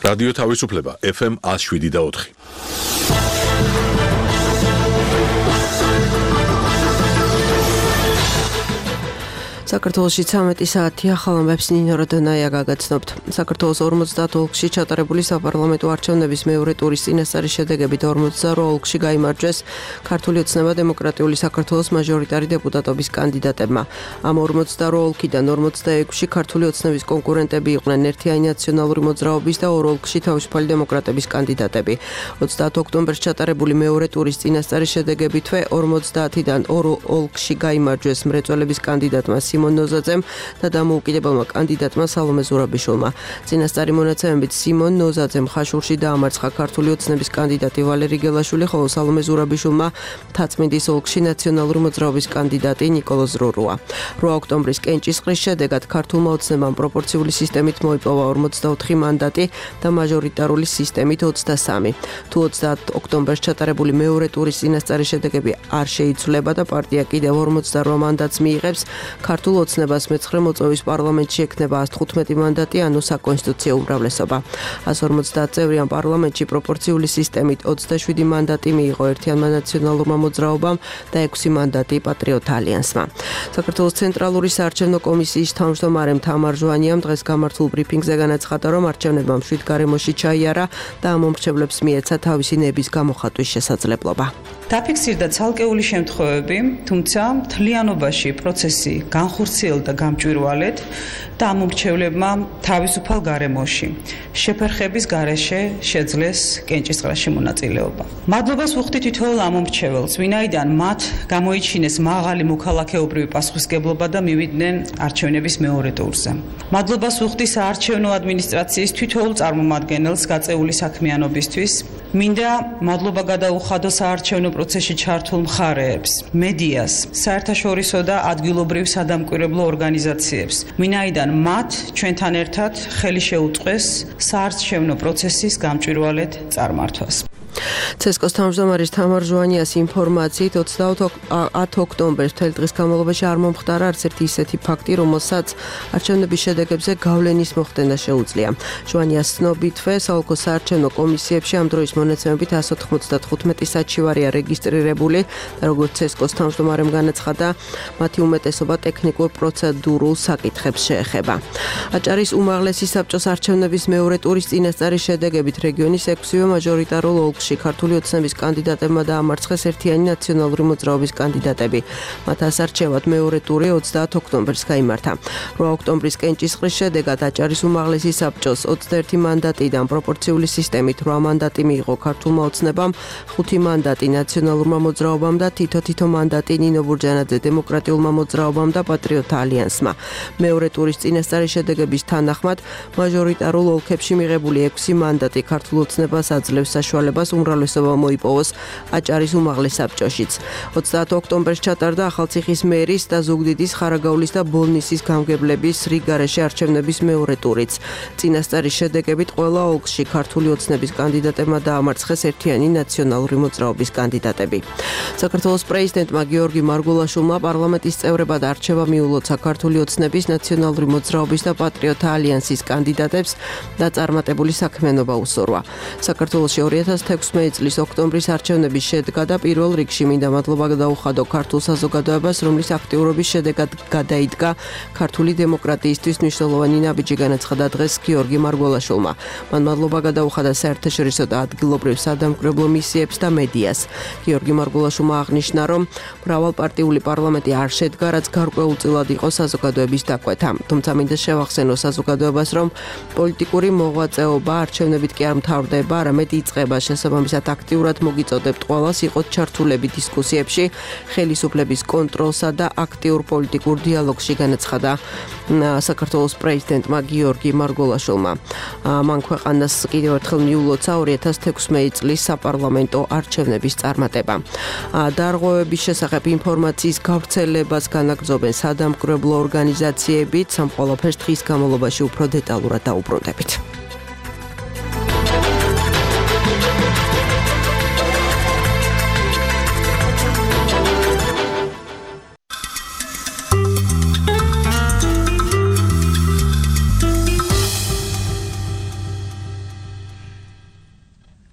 რადიო თავისუფლება FM 107.4. საქართველოში 13 საათია ხალხებს ნინო როდონაია გაგაცნობთ. საქართველოს 50 ოლქში ჩატარებული საპარლამენტო არჩევნების მეორე ტურის წინასწარი შედეგებით 48 ოლქში გაიმარჯვეს ქართული ოცნება დემოკრატიული საქართველოს მაჟორიტარი დეპუტატობის კანდიდატებმა. ამ 42 ოლქიდან 46-ში ქართული ოცნების კონკურენტები იყვნენ ერთიანი ნაციონალური მოძრაობის და 2 ოლქში თავისუფალი დემოკრატების კანდიდატები. 30 ოქტომბერს ჩატარებული მეორე ტურის წინასწარი შედეგებითვე 50-დან 2 ოლქში გაიმარჯვეს მრეწველების კანდიდატმა სიმონ ნოზაძემ და დამოუკიდებელმა კანდიდატმა სალომე ზურაბიშვილმა. წინასწარი მონაცემებით სიმონ ნოზაძემ ხაშურში დაამარცხა ქართული ოცნების კანდიდატი ვალერი გელაშვილი, ხოლო სალომე ზურაბიშვილმა თაცმინდის ოლქში ნაციონალური მოძრაობის კანდიდატი ნიკოლოზ რურუა. 8 ოქტომბრის კენჭისყრის შედეგად ქართულმა ოცნებამ პროპორციული სისტემით მოიპოვა 44 მანდატი და მაჟორიტარული სისტემით 23. თუ 30 ოქტომბერს ჩატარებული მეორე ტურის წინასწარი შედეგები არ შეიცვლება და პარტია კიდევ 48 მანდატს მიიღებს, ქართულ ოცნებას მეცხრე მოწვევის პარლამენტში ექნება 115 მანდატი, ანუ საკონსტიტუციო უმრავლესობა. 150 წევრიან პარლამენტში პროპორციული სისტემით 27 მანდატი მიიღო ერთიანმა ნაციონალურმა მოძრაობამ და 6 მანდატი პატრიოტ ალიანსმა. საქართველოს ცენტრალური საარჩევნო კომისიის თავმჯდომარემ თამარ ჟვანიამ დღეს გამართულ ბრიფინგზე განაცხადა, რომ არჩევნებმა მშვიდ გარემოში ჩაიარა და ამ მომხრეებს მიეცა თავისი ნების გამოხატვის შესაძლებლობა. დაფიქსირდა ცალკეული შემთხვევები, თუმცა მთლიანობაში პროცესი განხორციელდა გამჭვირვალედ და ამ მომრჩევლებმა თავისუფალ გარემოში შეფერხების გარეშე შეძლეს კენჭისყრაში მონაწილეობა. მადლობას ვუხდით თითოეულ ამ მომრჩეველს, ვინაიდან მათ გამოიჩინეს მაღალი მოქალაქეობრივი პასუხისმგებლობა და მივიდნენ არჩევნების მეორე ტურზე. მადლობას ვუხდი საარჩევნო ადმინისტრაციის თითოეულ წარმომადგენელს გაწეული საქმიანობისთვის. მინდა მადლობა გადაუხადო საარჩევნო პროცესში ჩართულ მხარეებს, მედიას, საერთაშორისო და ადგილობრივ სადამკვირვებლო ორგანიზაციებს, ვინაიდან მათ ჩვენთან ერთად ხელი შეუწყეს საარჩევნო პროცესის გამჭვირვალედ წარმართვას. ცესკოს თავმჯდომარის თამარ ჟვანიას ინფორმაციით 20 ოქტომბერს მთელი დღის განმავლობაში არ მომხდარა არც ერთი ისეთი ფაქტი, რომელსაც არჩევნების შედეგებზე გავლენის მოხდენა შეუძლია. ჟვანიას ცნობითვე საოლქო საარჩევნო კომისიებში ამ დროის მონაცემებით 195 საჩივარია რეგისტრირებული და როგორც ცესკოს თავმჯდომარემ განაცხადა, მათი უმეტესობა ტექნიკურ პროცედურულ საკითხებს შეეხება. აჭარის უმაღლესი საბჭოს არჩევნების მეორე ტურის წინასწარი შედეგებით რეგიონის 6-ვე მაჟორიტარულ ოლქში ქართული ოცნების კანდიდატებმა დაამარცხეს ერთიანი ნაციონალური მოძრაობის კანდიდატები. მათ ასარჩევად მეორე ტური 30 ოქტომბერს გაიმართა. 8 ოქტომბრის კენჭისყრის შედეგად აჭარის უმაღლესი საბჭოს 21 მანდატიდან პროპორციული სისტემით 8 მანდატი მიიღო ქართულმა ოცნებამ, 5 მანდატი ნაციონალურმა მოძრაობამ და თითო მანდატი ნინო ბურჯანაძე დემოკრატიულმა მოძრაობამ და პატრიოტ ალიანსმა. მეორე ტურის წინასწარი შედეგების თანახმად მაჟორიტარულ ოლქებში მიღებული 6 მანდატი ქართულ ოცნებას აძლევს საშუალებას უმრავლესობა მოიპოვოს აჭარის უმაღლეს საბჭოშიც. 30 ოქტომბერს ჩატარდა ახალციხის მერის და ზუგდიდის, ხარაგაულის და ბოლნისის გამგებლების რიგგარეშე არჩევნების მეორე ტურიც. წინასწარი შედეგებით ყველა ოლქში ქართული ოცნების კანდიდატებმა დაამარცხეს ერთიანი ნაციონალური მოძრაობის კანდიდატები. საქართველოს პრეზიდენტმა გიორგი მარგულაშვილმა პარლამენტის წევრებად არჩევა მიულოცა ქართული ოცნების, ნაციონალური მოძრაობის და პატრიოტ ალიანსის კანდიდატებს და წარმატებული საქმიანობა უსურვა. საქართველოში 2016 წლის ოქტომბრის არჩევნების შედგა და პირველ რიგში მინდა მადლობა გადაუხადო ქართულ საზოგადოებას, რომლის აქტიურობის შედეგად გადაიდგა ქართული დემოკრატიისთვის მნიშვნელოვანი ნაბიჯი, განაცხადა დღეს გიორგი მარგულაშვილმა. მან მადლობა გადაუხადა საერთაშორისო და ადგილობრივ სადამკვირვებლო მისიებს და მედიას. გიორგი მარგულაშვილმა აღნიშნა, რომ მრავალპარტიული პარლამენტი არ შედგა, რაც გარკვეულწილად იყო საზოგადოების დაკვეთა. თუმცა მინდა შევახსენო საზოგადოებას, რომ პოლიტიკური მოღვაწეობა არჩევნებით კი არ მთავრდება, არამედ იწყება. შესაბამისად აქტიურად მოგიწოდებთ ყველას იყოთ ჩართულები დისკუსიებში, ხელისუფლების კონტროლსა და აქტიურ პოლიტიკურ დიალოგში, განაცხადა საქართველოს პრეზიდენტმა გიორგი მარგულაშვილმა. მან ქვეყანას კიდევ ერთხელ მიულოცა 2016 წლის საპარლამენტო არჩევნების წარმატება. დარღვევების შესახებ ინფორმაციის გავრცელებას განაგრძობენ სადამკვირვებლო ორგანიზაციებიც, ამ ყველაფერს დღის განმავლობაში უფრო დეტალურად დაუბრუნდებით.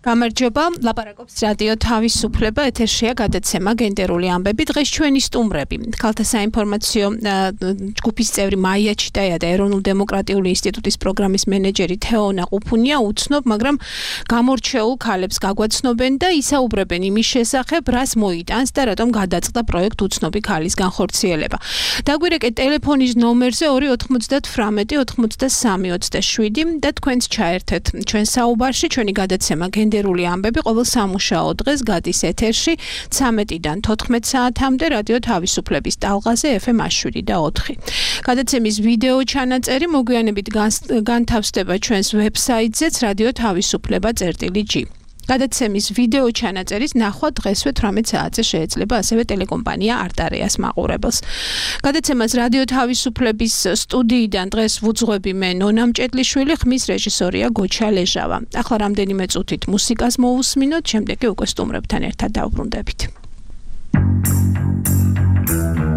გამარჯობა, ლაპარაკობს რადიო თავისუფლება, ეთერშია გადაცემა გენდერული ამბები. დღეს ჩვენი სტუმრები, ქალთა საინფორმაციო ჯგუფის წევრი მაია ჩიტაია და ეროვნულ-დემოკრატიული ინსტიტუტის პროგრამის მენეჯერი თეონა ყუფუნია უცნობ, მაგრამ გამორჩეულ ქალებს გაგვაცნობენ და ისაუბრებენ იმის შესახებ, რას მოიტანს და რატომ გადაწყდა პროექტ უცნობი ქალის განხორციელება. დაგვირეკეთ ტელეფონის ნომერზე 298 93 27 და თქვენც ჩაერთეთ ჩვენ საუბარში, ჩვენი გადაცემა გენდერული ამბები ყოველ სამუშაო დღეს გადის ეთერში 13-დან 14 საათამდე რადიო თავისუფლების ტალღაზე FM 107.4. გადაცემის ვიდეო ჩანაწერი მოგვიანებით განთავსდება ჩვენს ვებსაიტზეც radio-tavisupleba.g. გადაცემის ვიდეო ჩანაწერის ნახვა დღესვე 18 საათზე შეიძლება ასევე ტელეკომპანია არტარეას მაყურებელს. გადაცემას რადიო თავისუფლების სტუდიიდან დღეს ვუძღვები მე ნონა მჭედლიშვილი, ხმის რეჟისორია გოჩა ლეჟავა. ახლა რამდენიმე წუთით მუსიკას მოусმინოთ, შემდეგ კი უკვე სტუმრებთან ერთად დავბრუნდებით. Heaven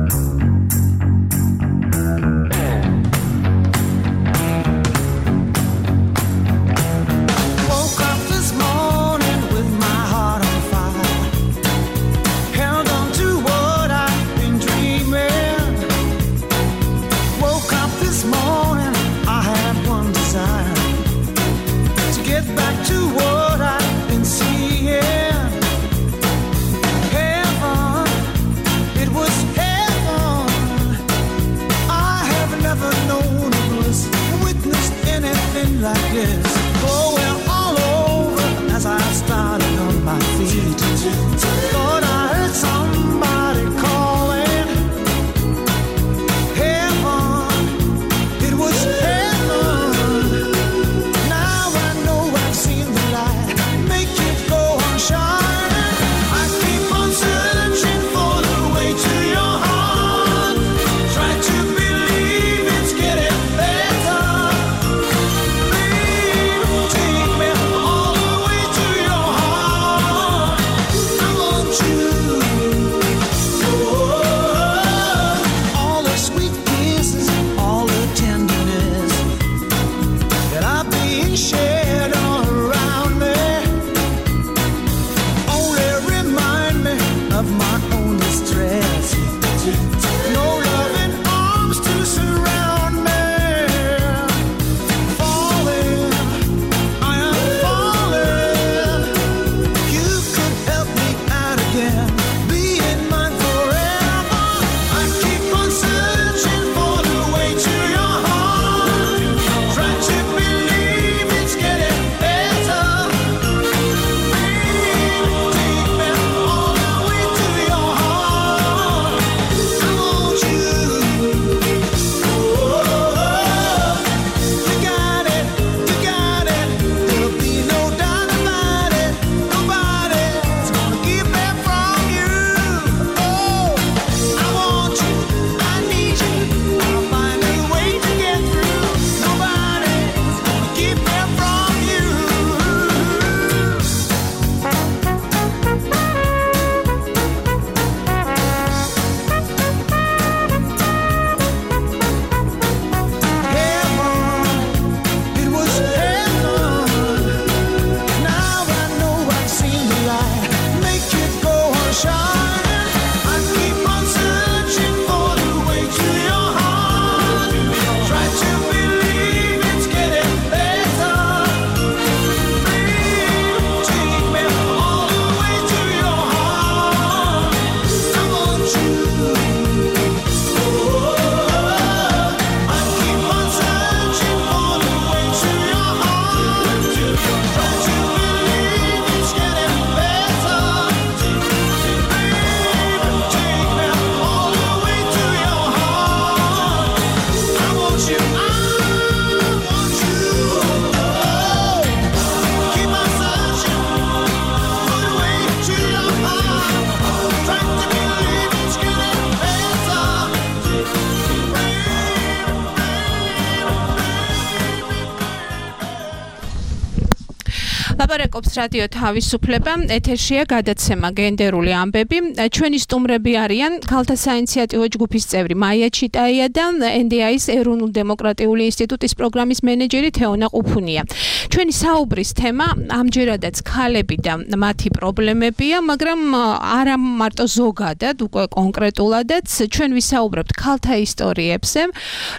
ლაპარაკობს რადიო თავისუფლება, ეთერშია გადაცემა გენდერული ამბები. ჩვენი სტუმრები არიან ქალთა საინიციატივო ჯგუფის წევრი მაია ჩიტაია და NDI-ის ეროვნულ დემოკრატიული ინსტიტუტის პროგრამის მენეჯერი თეონა ყუფუნია. ჩვენი საუბრის თემა ამჯერადაც ქალები და მათი პრობლემებია, მაგრამ არა მარტო ზოგადად, უკვე კონკრეტულადაც ჩვენ ვისაუბრებთ ქალთა ისტორიებზე,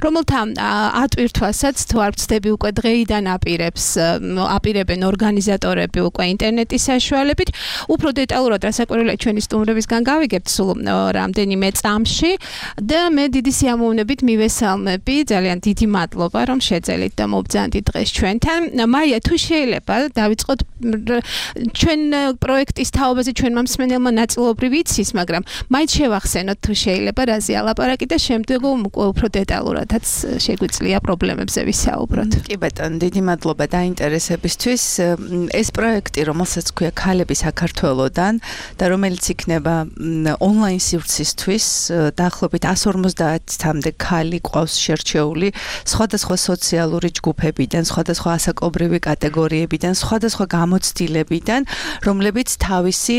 რომელთა ატვირთვასაც თუ არ ვცდები უკვე დღეიდან აპირებენ ორგანიზატორები უკვე ინტერნეტის საშუალებით. უფრო დეტალურად რასაკვირველია ჩვენი სტუმრებისგან გავიგებთ სულ რამდენიმე წამში და მე დიდი სიამოვნებით მივესალმები, ძალიან დიდი მადლობა რომ შეძელით და მობრძანდით დღეს ჩვენთან. მაია, თუ შეიძლება დავიწყოთ ჩვენ პროექტის თაობაზე ჩვენმა მსმენელმა ნაწილობრივ იცის, მაგრამ მაინც შევახსენოთ თუ შეიძლება რაზე ალაპარაკი და შემდეგ უფრო დეტალურადაც შეგვიძლია პრობლემებზე ვისაუბროთ. კი ბატონო, დიდი მადლობა დაინტერესებისთვის. ეს პროექტი, რომელსაც ქვია ქალები საქართველოდან და რომელიც იქნება ონლაინ სივრცისთვის, დაახლოებით 150-მდე ქალი ყავს შერჩეული სხვადასხვა სოციალური ჯგუფებიდან, სხვადასხვა ასაკობრივი კატეგორიებიდან, სხვადასხვა გამოცდილებიდან, რომლებიც თავისი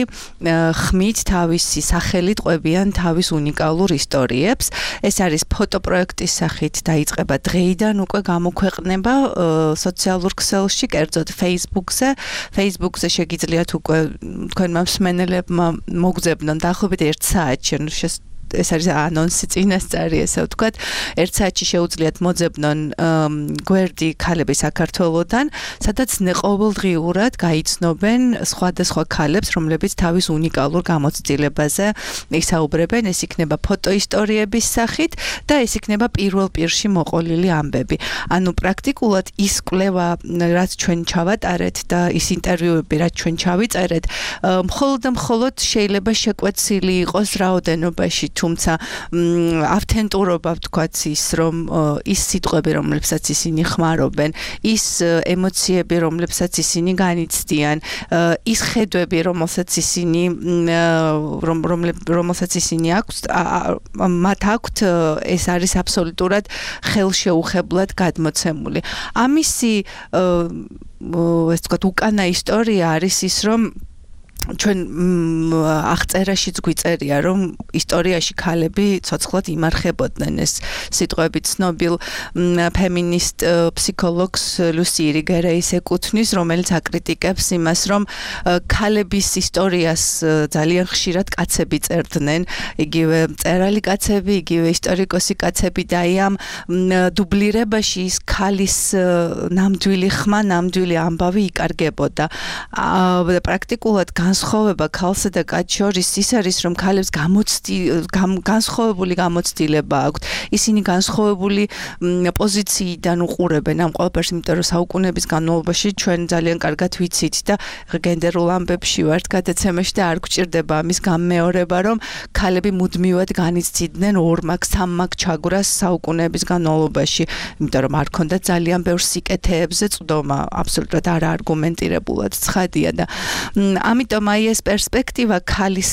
ხმით, თავისი სახელით ყვებიან თავის უნიკალურ ისტორიებს. ეს არის ფოტოპროექტის სახით დაიწყება დღეიდან უკვე გამოქვეყნება სოციალურ ქსელში, კერძოდ Facebook-ზე შეგიძლიათ უკვე თქვენმა მსმენელებმა მოგძებნონ დაახლოებით 1 საათში, ეს არის ანონსი წინასწარი, ესე ვთქვათ, 1 საათში შეუძლიათ მოძებნონ გვერდი ქალები საქართველოდან, სადაც ყოველდღიურად გაიცნობენ სხვადასხვა ქალებს, რომლებიც თავის უნიკალურ გამოცდილებაზე ისაუბრებენ. ეს იქნება ფოტოისტორიების სახით და ეს იქნება პირველ პირში მოყოლილი ამბები. ანუ პრაქტიკულად ის კვლევა, რაც ჩვენ ჩავატარეთ და ის ინტერვიუები, რაც ჩვენ ჩავიწერეთ, მხოლოდ შეიძლება შეკვეცილი იყოს რაოდენობაში, თუმცა ავთენტურობა ვთქვათ ის, რომ ის სიტყვები, რომლებსაც ისინი ხმარობენ, ის ემოციები, რომლებსაც ისინი განიცდიან, ის ხედვები, რომელსაც ისინი აქვს, მათ აქვთ, ეს არის აბსოლუტურად ხელშეუხებლად გადმოცემული. ამისი ეს ვთქვათ უკანა ისტორია არის ის, რომ ჩვენ აღწერაშიც გვიწერია, რომ ისტორიაში ქალები ცოცხლად იმარხებოდნენ. ეს სიტყვები ცნობილ ფემინისტ ფსიქოლოგს ლუსი ირიგერეის ეკუთვნის, რომელიც აკრიტიკებს იმას, რომ ქალების ისტორიას ძალიან ხშირად კაცები წერდნენ, იგივე მწერალი კაცები, იგივე ისტორიკოსი კაცები და ამ დუბლირებაში ის ქალის ნამდვილი ხმა, ნამდვილი ამბავი იკარგებოდა. პრაქტიკულად განსხვავება ქალსა და კაცს შორის ის არის, რომ ქალებს განსხვავებული გამოცდილება აქვთ. ისინი განსხვავებული პოზიციიდან უყურებენ ამ ყველაფერს, იმიტომ რომ საუკუნეების განმავლობაში ჩვენ ძალიან კარგად ვიცით და გენდერულ ამბებში ვართ გადაცემაში და არ გვჭირდება ამის გამეორება, რომ ქალები მუდმივად განიცდიდნენ 2 მაგ 3 მაგ ჩაგვრას საუკუნეების განმავლობაში, იმიტომ რომ არ ქონდათ ძალიან ბევრ სიკეთეებზე წვდომა, აბსოლუტურად არაარგუმენტირებულად ცხადია და ამიტომ აი ეს პერსპექტივა ქალის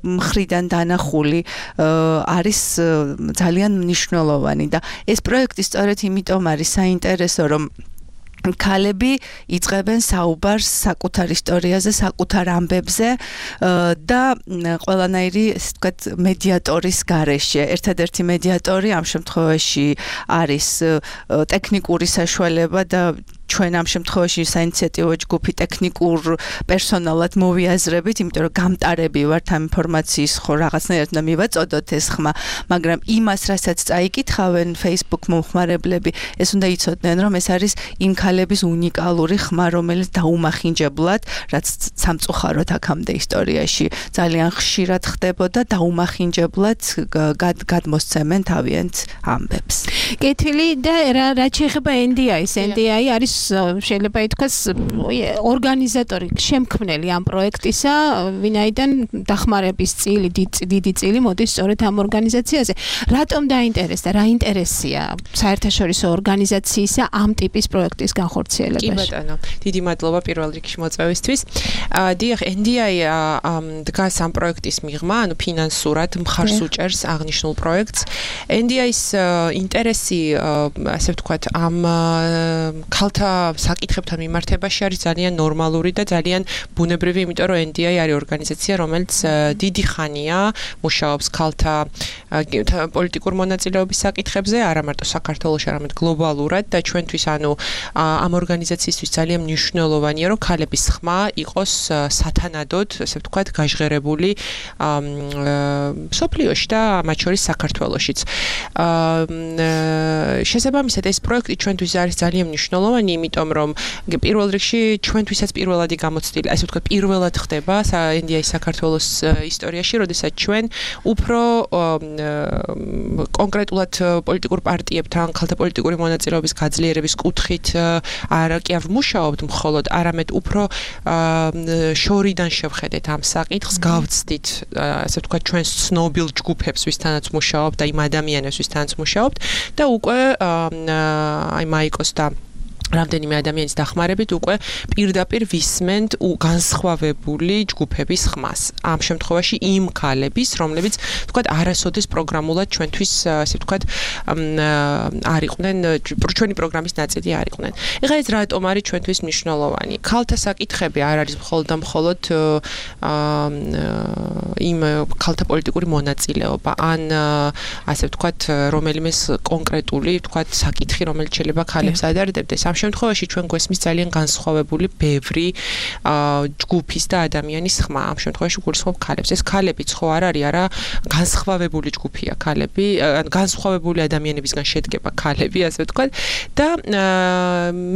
მხრიდან დანახული არის ძალიან მნიშვნელოვანი და ეს პროექტი სწორედ იმიტომ არის საინტერესო, რომ ქალები იწყებენ საუბარს საკუთარ ისტორიაზე, საკუთარ ამბებზე და ყველანაირი, ესე ვთქვათ, მედიატორის გარეშე. ერთადერთი მედიატორი ამ შემთხვევაში არის ტექნიკური საშუალება და ჩვენ ამ შემთხვევაში საინიციატივო ჯგუფი ტექნიკურ პერსონალად მოვიაზრებით, იმიტომ რომ გამტარები ვართ ამ ინფორმაციის ხო რაღაცნაირად და მივაწოდოთ ეს ხმა, მაგრამ იმას, რასაც წაიკითხავენ Facebook მომხმარებლები, ეს უნდა იცოდნენ, რომ ეს არის იმ ქალების უნიკალური ხმა, რომელიც დაუმახინჯებლად, რაც სამწუხაროდ აქამდე ისტორიაში ძალიან ხშირად ხდებოდა, დაუმახინჯებლად გადმოსცემენ თავიანთ ამბებს. კეთილი და რაც შეეხება NDI-ს, NDI არის შეიძლება ითქვას ორგანიზატორი, შემქმნელი ამ პროექტისა, ვინაიდან დახმარების წილი, დიდი წილი მოდის სწორედ ამ ორგანიზაციაზე. რატომ დაინტერესდა, რა ინტერესია საერთაშორისო ორგანიზაციისა ამ ტიპის პროექტის განხორციელებაში? კი ბატონო, დიდი მადლობა პირველ რიგში მოწვევისთვის. დიახ, NDI დგას ამ პროექტის მიღმა, ანუ ფინანსურად მხარს უჭერს აღნიშნულ პროექტს. NDI-ის ინტერესი, ასე ვთქვათ, ამ ქალთა საკითხებთან მიმართებაში არის ძალიან ნორმალური და ძალიან ბუნებრივი, იმიტომ რომ NDI არის ორგანიზაცია, რომელიც დიდი ხანია მუშაობს ქალთა პოლიტიკურ მონაწილეობის საკითხებზე, არა მარტო საქართველოში, არამედ გლობალურად და ჩვენთვის ამ ორგანიზაციისთვის ძალიან მნიშვნელოვანია, რომ ქალების ხმა იყოს სათანადოდ, ასე ვთქვათ, გაჟღერებული სოფლიოში და მათ შორის საქართველოშიც. შესაბამისად ეს პროექტი ჩვენთვის არის ძალიან მნიშვნელოვანი, იმიტომ რომ პირველ რიგში ჩვენთვისაც პირველადი გამოცდილი, ასე ვთქვათ, პირველად ხდება NDI საქართველოს ისტორიაში, როდესაც ჩვენ უფრო კონკრეტულად პოლიტიკურ პარტიებთან, ქალთა პოლიტიკური მონაწილეობის გაძლიერების კუთხით არა კი არ ვმუშაობთ მხოლოდ, არამედ უფრო შორიდან შევხედეთ ამ საკითხს, გავცდით, ასე ვთქვათ, ჩვენს ცნობილ ჯგუფებს, ვისთანაც ვმუშაობთ და იმ ადამიანებს, ვისთანაც ვმუშაობთ და უკვე აი მაიკოს და რამდენიმე ადამიანის დახმარებით უკვე პირდაპირ ვისმენთ განსხვავებული ჯგუფების ხმას. ამ შემთხვევაში იმ ქალების, რომლებიც, ვთქვათ, არასოდეს პროგრამულად ჩვენთვის, ასე ვთქვათ, არ იყვნენ, ჩვენი პროგრამის ნაწილი არ იყვნენ. ეხლა ეს რატომ არის ჩვენთვის მნიშვნელოვანი? ქალთა საკითხები არ არის მხოლოდ და მხოლოდ იმ ქალთა პოლიტიკური მონაწილეობა, ან ასე ვთქვათ, რომელიმე კონკრეტული, ვთქვათ, საკითხი, რომელიც შეიძლება ქალებს ადარდებდეს. ამ შემთხვევაში ჩვენ გვესმის ძალიან განსხვავებული ბევრი ჯგუფის და ადამიანის ხმა. ამ შემთხვევაში გულისხმობ ქალებს. ეს ქალებიც ხო არ არის, არა განსხვავებული ჯგუფია ქალები, განსხვავებული ადამიანებისგან შედგება ქალები, ასე ვთქვათ. და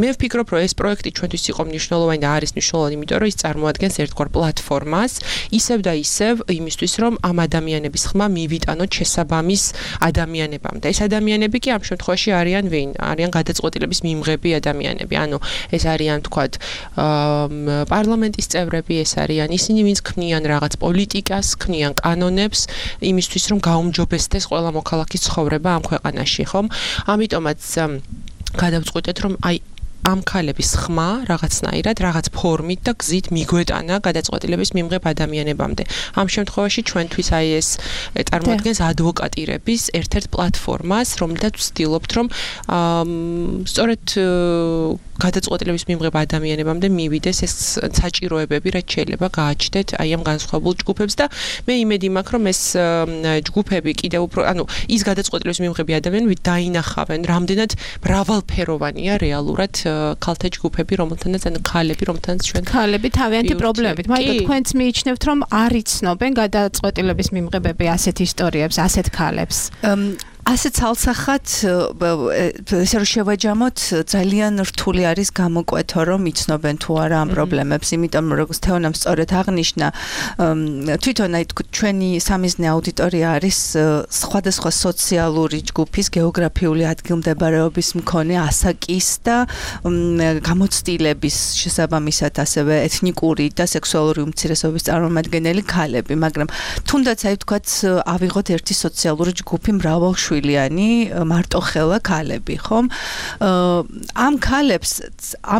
მე ვფიქრობ, რომ ეს პროექტი ჩვენთვის იყო მნიშვნელოვანი და არის მნიშვნელოვანი, იმიტომ რომ ის წარმოადგენს ერთგვარ პლატფორმას, ისევ და ისევ იმისთვის, რომ ამ ადამიანების ხმა მივიტანოთ შესაბამის ადამიანებამდე. ეს ადამიანები კი ამ შემთხვევაში არიან ვინ? არიან გადაწყვეტილების მიმღები ადამიანები, ანუ ეს არიან, თქვათ, პარლამენტის წევრები, ეს არიან ისინი, ვინც ქმნიან რაღაც პოლიტიკას, ქმნიან კანონებს იმისთვის, რომ გაუმჯობესდეს ყველა მოქალაქის ცხოვრება ამ ქვეყანაში, ხომ? ამიტომაც გადავწყვეტეთ, რომ აი ამ ქალების ხმა რაღაცნაირად, რაღაც ფორმით და გზით მიგვეტანა გადაწყვეტილების მიმღებ ადამიანებამდე. ამ შემთხვევაში ჩვენთვის აი ეს წარმოადგენს ადვოკატირების ერთ-ერთ პლატფორმას, რომელთაც ვცდილობთ, რომ სწორედ გადაწყვეტილების მიმღებ ადამიანებამდე მივიდეს ეს საჭიროებები, რაც შეიძლება გააჩნდეთ აი ამ განსხვავებულ ჯგუფებს და მე იმედი მაქვს, რომ ეს ჯგუფები კიდევ უფრო, ანუ ის გადაწყვეტილების მიმღები ადამიანები დაინახავენ, რამდენად მრავალფეროვანია რეალურად ქალთა ჯგუფები, რომელთანაც ანუ ქალები, რომელთანაც ჩვენ ქალები თავიანთი პრობლემებით. მაინც თქვენც მიიჩნევთ, რომ არ იცნობენ გადაწყვეტილების მიმღებები ასეთ ისტორიებს, ასეთ ქალებს. ასეთ ცალსახად ესე რომ შევაჯამოთ, ძალიან რთული არის გამოკვეთო, რომ იცნობენ თუ არა ამ პრობლემებს, იმიტომ რომ როგორც თეონამ სწორედ აღნიშნა, თვითონ აი ჩვენი სამიზნე აუდიტორია არის სხვადასხვა სოციალური ჯგუფის, გეოგრაფიული ადგილმდებარეობის მქონე ასაკის და გამოცდილების შესაბამისად ასევე ეთნიკური და სექსუალური უმცირესობების წარმომადგენელი ქალები, მაგრამ თუნდაც აი ვთქვათ, ავიღოთ ერთი სოციალური ჯგუფი მრავალ მარტოხელა ქალები, ხომ? ამ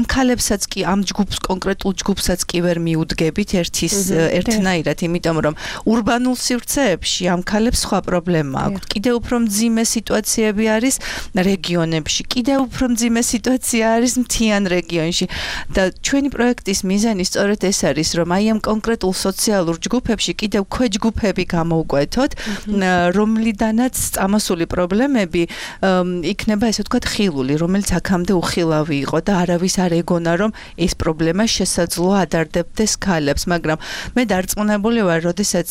ქალებსაც კი ამ ჯგუფს კონკრეტულ ჯგუფსაც კი ვერ მიუდგებით ერთნაირად, იმიტომ რომ ურბანულ სივრცეებში ამ ქალებს სხვა პრობლემა აქვს. კიდევ უფრო მძიმე სიტუაციები არის რეგიონებში, კიდევ უფრო მძიმე სიტუაცია არის მთიან რეგიონში და ჩვენი პროექტის მიზანი სწორედ ეს არის, რომ აი ამ კონკრეტულ სოციალურ ჯგუფებში კიდევ ქვეჯგუფები გამოვკვეთოთ, რომლიდანაც წამოსული პრობლემები იქნება, ესე ვთქვათ, ხილული, რომელიც აქამდე უხილავი იყო და არავის არ ეგონა, რომ ეს პრობლემა შესაძლოა ადარდებდეს ქალებს, მაგრამ მე დარწმუნებული ვარ, როდესაც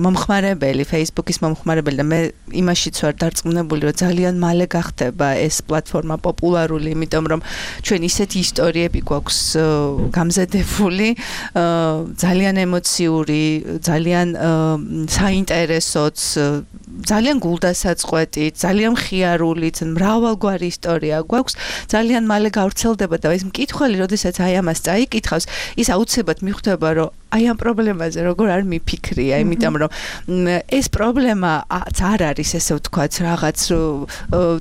მომხმარებელი, Facebook-ის მომხმარებელი და მე იმაშიც ვარ დარწმუნებული, რომ ძალიან მალე გახდება ეს პლატფორმა პოპულარული, იმიტომ რომ ჩვენ ისეთი ისტორიები გვაქვს გამზადებული, ძალიან ემოციური, ძალიან საინტერესოც, ძალიან გულდასაწყვეტი, ძალიან მხიარულიც, მრავალგვარი ისტორია გვაქვს, ძალიან მალე გავრცელდება და ეს მკითხველი, როდესაც აი ამას წაიკითხავს, ის აუცილებლად მიხვდება, რომ აი ამ პრობლემაზე როგორ არ მიფიქრია, იმიტომ რომ ეს პრობლემა არ არის ესე ვთქვათ რაღაც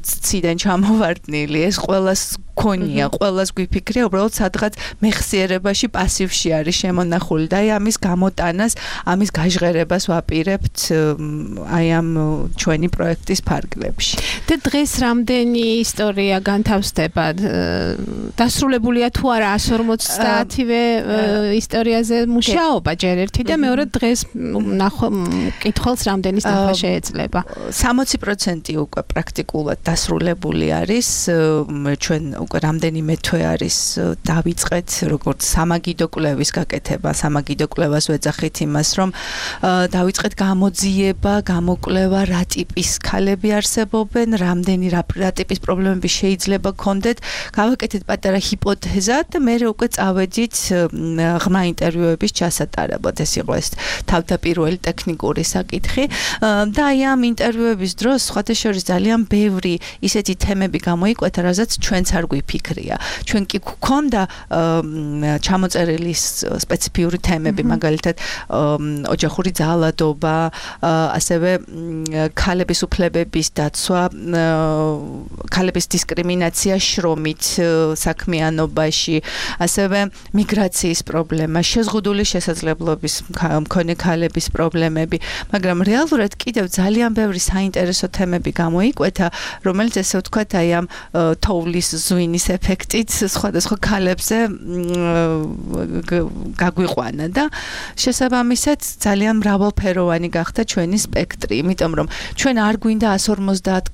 ციდან ჩამოვარდნილი, ეს ყველას ქონია, ყველას გვიფიქრია, უბრალოდ სადღაც მეხსიერებაში პასივში არის შემონახული და აი ამის გამოტანას, ამის გაჟღერებას ვაპირებთ აი ამ ჩვენი პროექტის ფარგლებში. და დღეს რამდენი ისტორია განთავსდება? დასრულებულია თუ არა 150-ვე ისტორიაზე მუშაობა ჯერ ერთი და მეორე დღეს კითხულს რამდენის ნახვა შეეძლება? 60% უკვე პრაქტიკულად დასრულებული არის, ჩვენ უკვე რამდენიმე თვე არის დავიწყეთ როგორც სამაგიდო კვლევის გაკეთება, სამაგიდო კვლევას ვეძახით იმას, რომ დავიწყეთ გამოძიება, გამოკვლევა, რა ტიპის ქალები არსებობენ, რამდენი რა ტიპის პრობლემები შეიძლება გქონდეთ, გავაკეთეთ პატარა ჰიპოთეზა და მე უკვე წავედით ღრმა ინტერვიუების ჩასატარებლად. ეს იყო ეს თავდაპირველი ტექნიკური საკითხი და აი ამ ინტერვიუების დროს სხვათა შორის ძალიან ბევრი ისეთი თემები გამოიკვეთა, რასაც ჩვენც არ გვიფიქრია. ჩვენ კი გვქონდა ჩამოწერილი სპეციფიური თემები, მაგალითად ოჯახური ძალადობა, ასევე ქალების უფლებების დაცვა, ქალების დისკრიმინაცია შრომით საქმიანობაში, ასევე მიგრაციის პრობლემა, შეზღუდული შესაძლებლობის მქონე ქალების პრობლემები, მაგრამ რეალურად კიდევ ძალიან ბევრი საინტერესო თემები გამოიკვეთა, რომელიც ესე ვთქვათ, აი ამ თოვლის ზვინის ეფექტით სხვადასხვა ქალებზე გაგვიყვანა და შესაბამისად ძალიან მრავალფეროვანი გახდა ჩვენი სპექტრი, იმიტომ რომ ჩვენ არ გვინდა 150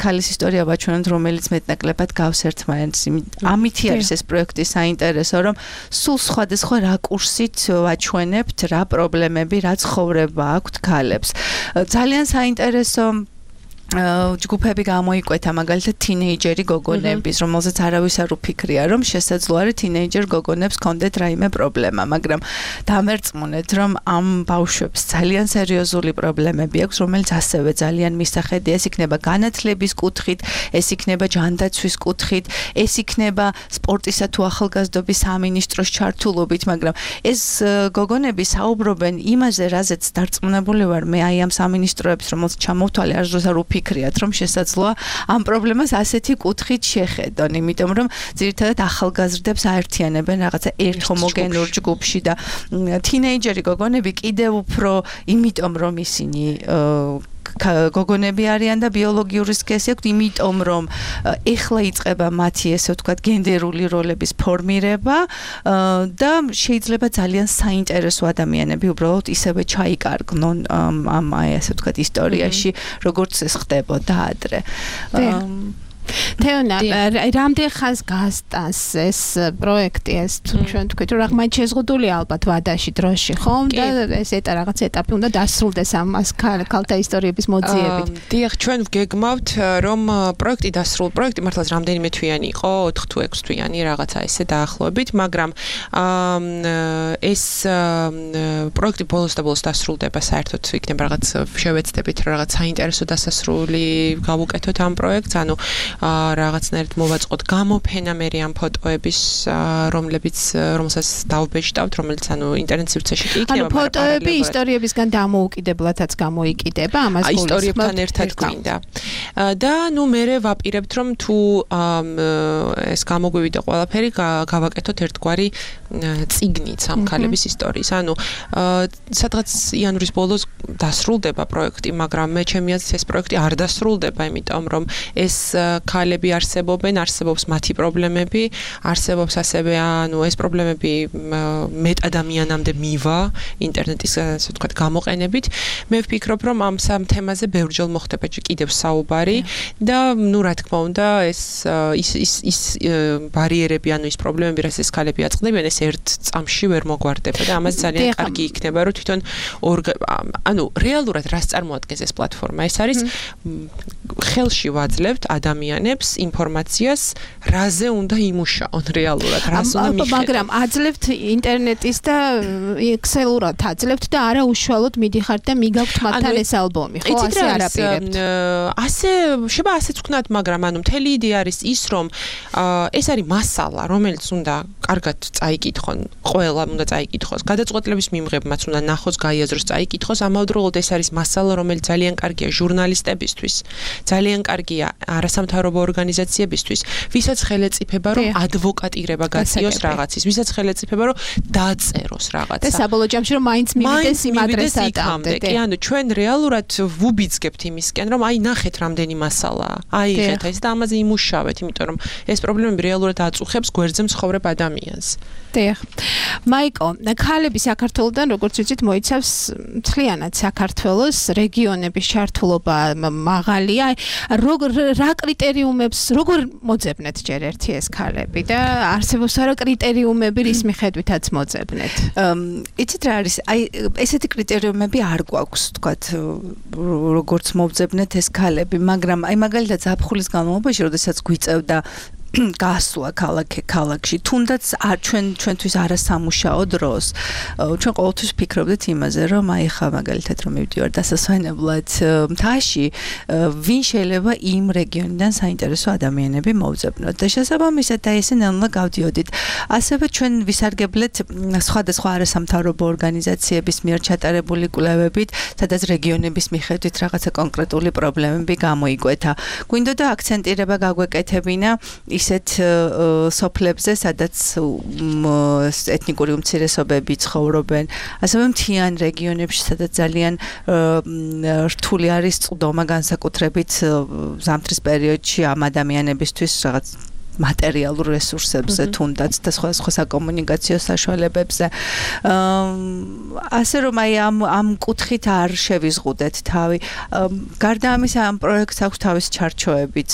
ქალის ისტორია ვაჩვენოთ, რომელიც მეტნაკლებად გავს ერთმანეთს. ამითი არის ეს პროექტი საინტერესო, რომ სულ სხვადასხვა რაკურსით ვაჩვენებთ რა პრობლემები, რა ცხოვრება აქვთ ქალებს. ძალიან საინტერესო ჯგუფები გამოიკვეთა, მაგალითად თინეიჯერი გოგონების, რომელზეც არავის არ უფიქრია, რომ შესაძლოა არის თინეიჯერ გოგონებს კონდეთ რაიმე პრობლემა, მაგრამ დამერწმუნეთ, რომ ამ ბავშვებს ძალიან სერიოზული პრობლემები აქვს, რომელიც ასევე ძალიან მისახედია, ეს იქნება განათლების კუთხით, ეს იქნება ჯანდაცვის კუთხით, ეს იქნება სპორტისა თუ ახალგაზრდობის სამინისტროს ჩართულობით, მაგრამ ეს გოგონები საუბრობენ იმაზე, რაზეც დარწმუნებული ვარ მე აი ამ სამინისტროებს, რომელსაც ჩამოვთვალე არ დროს არ ვფიქრიათ, რომ შესაძლოა ამ პრობლემას ასეთი კუთხით შეხედონ, იმიტომ რომ ძირითადად ახალგაზრდებს აერთიანებენ რაღაცა ერთ ჰომოგენურ ჯგუფში და თინეიჯერი გოგონები კიდევ უფრო იმიტომ რომ ისინი გოგონები არიან და ბიოლოგიური სქესი აქვთ, იმიტომ რომ ეხლა იწყება მათი ესე ვთქვათ გენდერული როლების ფორმირება და შეიძლება ძალიან საინტერესო ადამიანები უბრალოდ ისევე ჩაიკარგნონ ამ ესე ვთქვათ ისტორიაში, როგორც ეს ხდებოდა ადრე. თეონა, რამდენ ხანს გასტანს ეს პროექტი, ეს ჩვენ თქვით, რომ აღმოჩნდა შეზღუდული ალბათ ვადაში დროში, ხომ? და ეს რაღაც ეტაპი უნდა დასრულდეს ამას ქალთა ისტორიების მოძიებით. დიახ, ჩვენ ვგეგმავთ, რომ პროექტი მართლაც რამდენიმე თვიანი იყო, 4 თუ 6 თვიანი რაღაცა ესე დაახლოებით, მაგრამ ეს პროექტი ბოლოს და ბოლოს დასრულდება, საერთოდ იქნება რაღაც შევეცდებით, რაღაც საინტერესო დასასრული გავუკეთოთ ამ პროექტს, ანუ რაღაცნაირად მოვაწყოთ გამოფენა მე ამ ფოტოების, რომელსაც დავბეჭდავთ, რომელიც ანუ ინტერნეტ სივრცეში კი იქნება, მაგრამ ფოტოები ისტორიებისგან დამოუკიდებლადაც გამოიკიდება, ამას გულისხმობთ. ისტორიებთან ერთად გვინდა. და ნუ მე ვაპირებთ, რომ თუ ეს გამოგვივიდა ყველაფერი, გავაკეთოთ ერთგვარი წიგნიც ამ ქალების ისტორიის. ანუ სადღაც იანვრის ბოლოს დასრულდება პროექტი, მაგრამ მე ჩემი აზრით ეს პროექტი არ დასრულდება, იმიტომ რომ ეს ქალები არსებობს მათი პრობლემები, არსებობს ასევე ანუ ეს პრობლემები მეტ ადამიანამდე მივა ინტერნეტის ასე ვთქვათ გამოყენებით. მე ვფიქრობ, რომ ამ სამ თემაზე ბევრჯერ მოხდება კიდევ საუბარი და ნუ რა თქმა უნდა ეს ბარიერები, ანუ ის პრობლემები, რაც ეს ქალები აწყდებიან, ეს ერთ წამში ვერ მოგვარდება და ამას ძალიან კარგი იქნება, რომ თვითონ ანუ რეალურად რას წარმოადგენს ეს პლატფორმა? ეს არის ხელში ვაძლევთ ადამიანს ადამიანებს ინფორმაციას, რაზე უნდა იმუშაონ რეალურად, რას უნდა მიხედონ. მაგრამ აძლევთ ინტერნეტის და ექსელურად აძლევთ და არა უშუალოდ მიდიხართ და მიგაქვთ მათთან ეს ალბომი, ხო, ასე არაპირებთ. ასე შეიძლება ასეც ვქნათ, მაგრამ მთელი იდეა არის ის, რომ ეს არის მასალა, რომელიც უნდა კარგად წაიკითხონ, ყველა უნდა წაიკითხოს. გადაწყვეტილების მიღებმაც უნდა ნახოს, გაიაზროს, წაიკითხოს. ამავდროულად ეს არის მასალა, რომელიც ძალიან კარგია ჟურნალისტებისთვის, ძალიან კარგია არასამთავრობო ორგანიზაციებისთვის, ვისაც ხელეწიფება, რომ ადვოკატირება გაწიოს რაღაცის, ვისაც ხელეწიფება, რომ დაწეროს რაღაცა. და საბოლოო ჯამში რომ მაინც მივიდეს იმ ადრესატამდე. კი, ანუ ჩვენ რეალურად ვუბიძგებთ იმისკენ, რომ აი ნახეთ რამდენი მასალაა. აიღეთ ეს და ამაზე იმუშავეთ, იმიტომ რომ ეს პრობლემები რეალურად აწუხებს გვერდზე მცხოვრებ ადამიანს. დიახ. მაიკო, ქალები საქართველოსთან როგორც ვიცით მოიცავს მთლიანად საქართველოს რეგიონების ჩართულობა მაღალია. რა კრიტერიუმებს როგორ მოძებნეთ ჯერ ერთი ეს ქალები და არსებობს რა კრიტერიუმები რის მიხედვითაც მოძებნეთ? იცით რა არის? აი ესეთი კრიტერიუმები არ გვაქვს, თქვათ, როგორც მოვძებნეთ ეს ქალები, მაგრამ აი მაგალითად ზაფხულის განმავლობაში, როდესაც გვიწევდა გასვლა ქალაქში, თუნდაც ჩვენთვის არასამუშაო დროს. ჩვენ ყოველთვის ფიქრობდით იმაზე, რომ აი ხა მაგალითად რომ მივდივარ დასასვენებლად მთაში, ვინ შეიძლება იმ რეგიონიდან საინტერესო ადამიანები მოვძებნოთ და შესაბამისად და ესე ნელა გავდიოდით. ასევე ჩვენ ვისარგებლეთ სხვადასხვა არასამთავრობო ორგანიზაციების მიერ ჩატარებული კვლევებით, სადაც რეგიონების მიხედვით რაღაცა კონკრეტული პრობლემები გამოიკვეთა. გვინდოდა აქცენტირება გაგვეკეთებინა ისეთ სოფლებზე, სადაც ეთნიკური უმცირესობები ცხოვრობენ, ასევე მთიან რეგიონებში, სადაც ძალიან რთული არის წყდომა განსაკუთრებით ზამთრის პერიოდში ამ ადამიანებისთვის რაღაც მატერიალურ რესურსებზე თუნდაც და სხვა საკომუნიკაციო საშუალებებზე. ასე რომ აი ამ კუთხით არ შევიზღუდეთ თავი. გარდა ამისა ამ პროექტს აქვს თავის ჩარჩოებიც,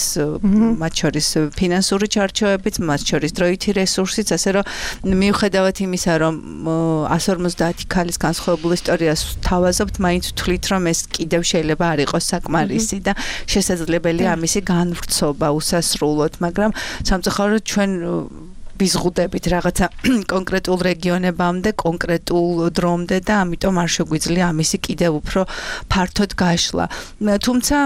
მათ შორის ფინანსური ჩარჩოებიც, მათ შორის დროითი რესურსიც, ასე რომ მიუხედავად იმისა, რომ 150 ქალის განსხვავებულ ისტორიას თავაზობთ, მაინც ვთვლით, რომ ეს კიდევ შეიძლება არ იყოს საკმარისი და შესაძლებელია ამისი განვრცობა უსასრულოდ, მაგრამ სამწუხაროდ ჩვენ ვიზღუდებით რაღაცა კონკრეტულ რეგიონებამდე, კონკრეტულ დრომდე და ამიტომ არ შეგვიძლია ამისი კიდევ უფრო ფართოდ გაშლა. თუმცა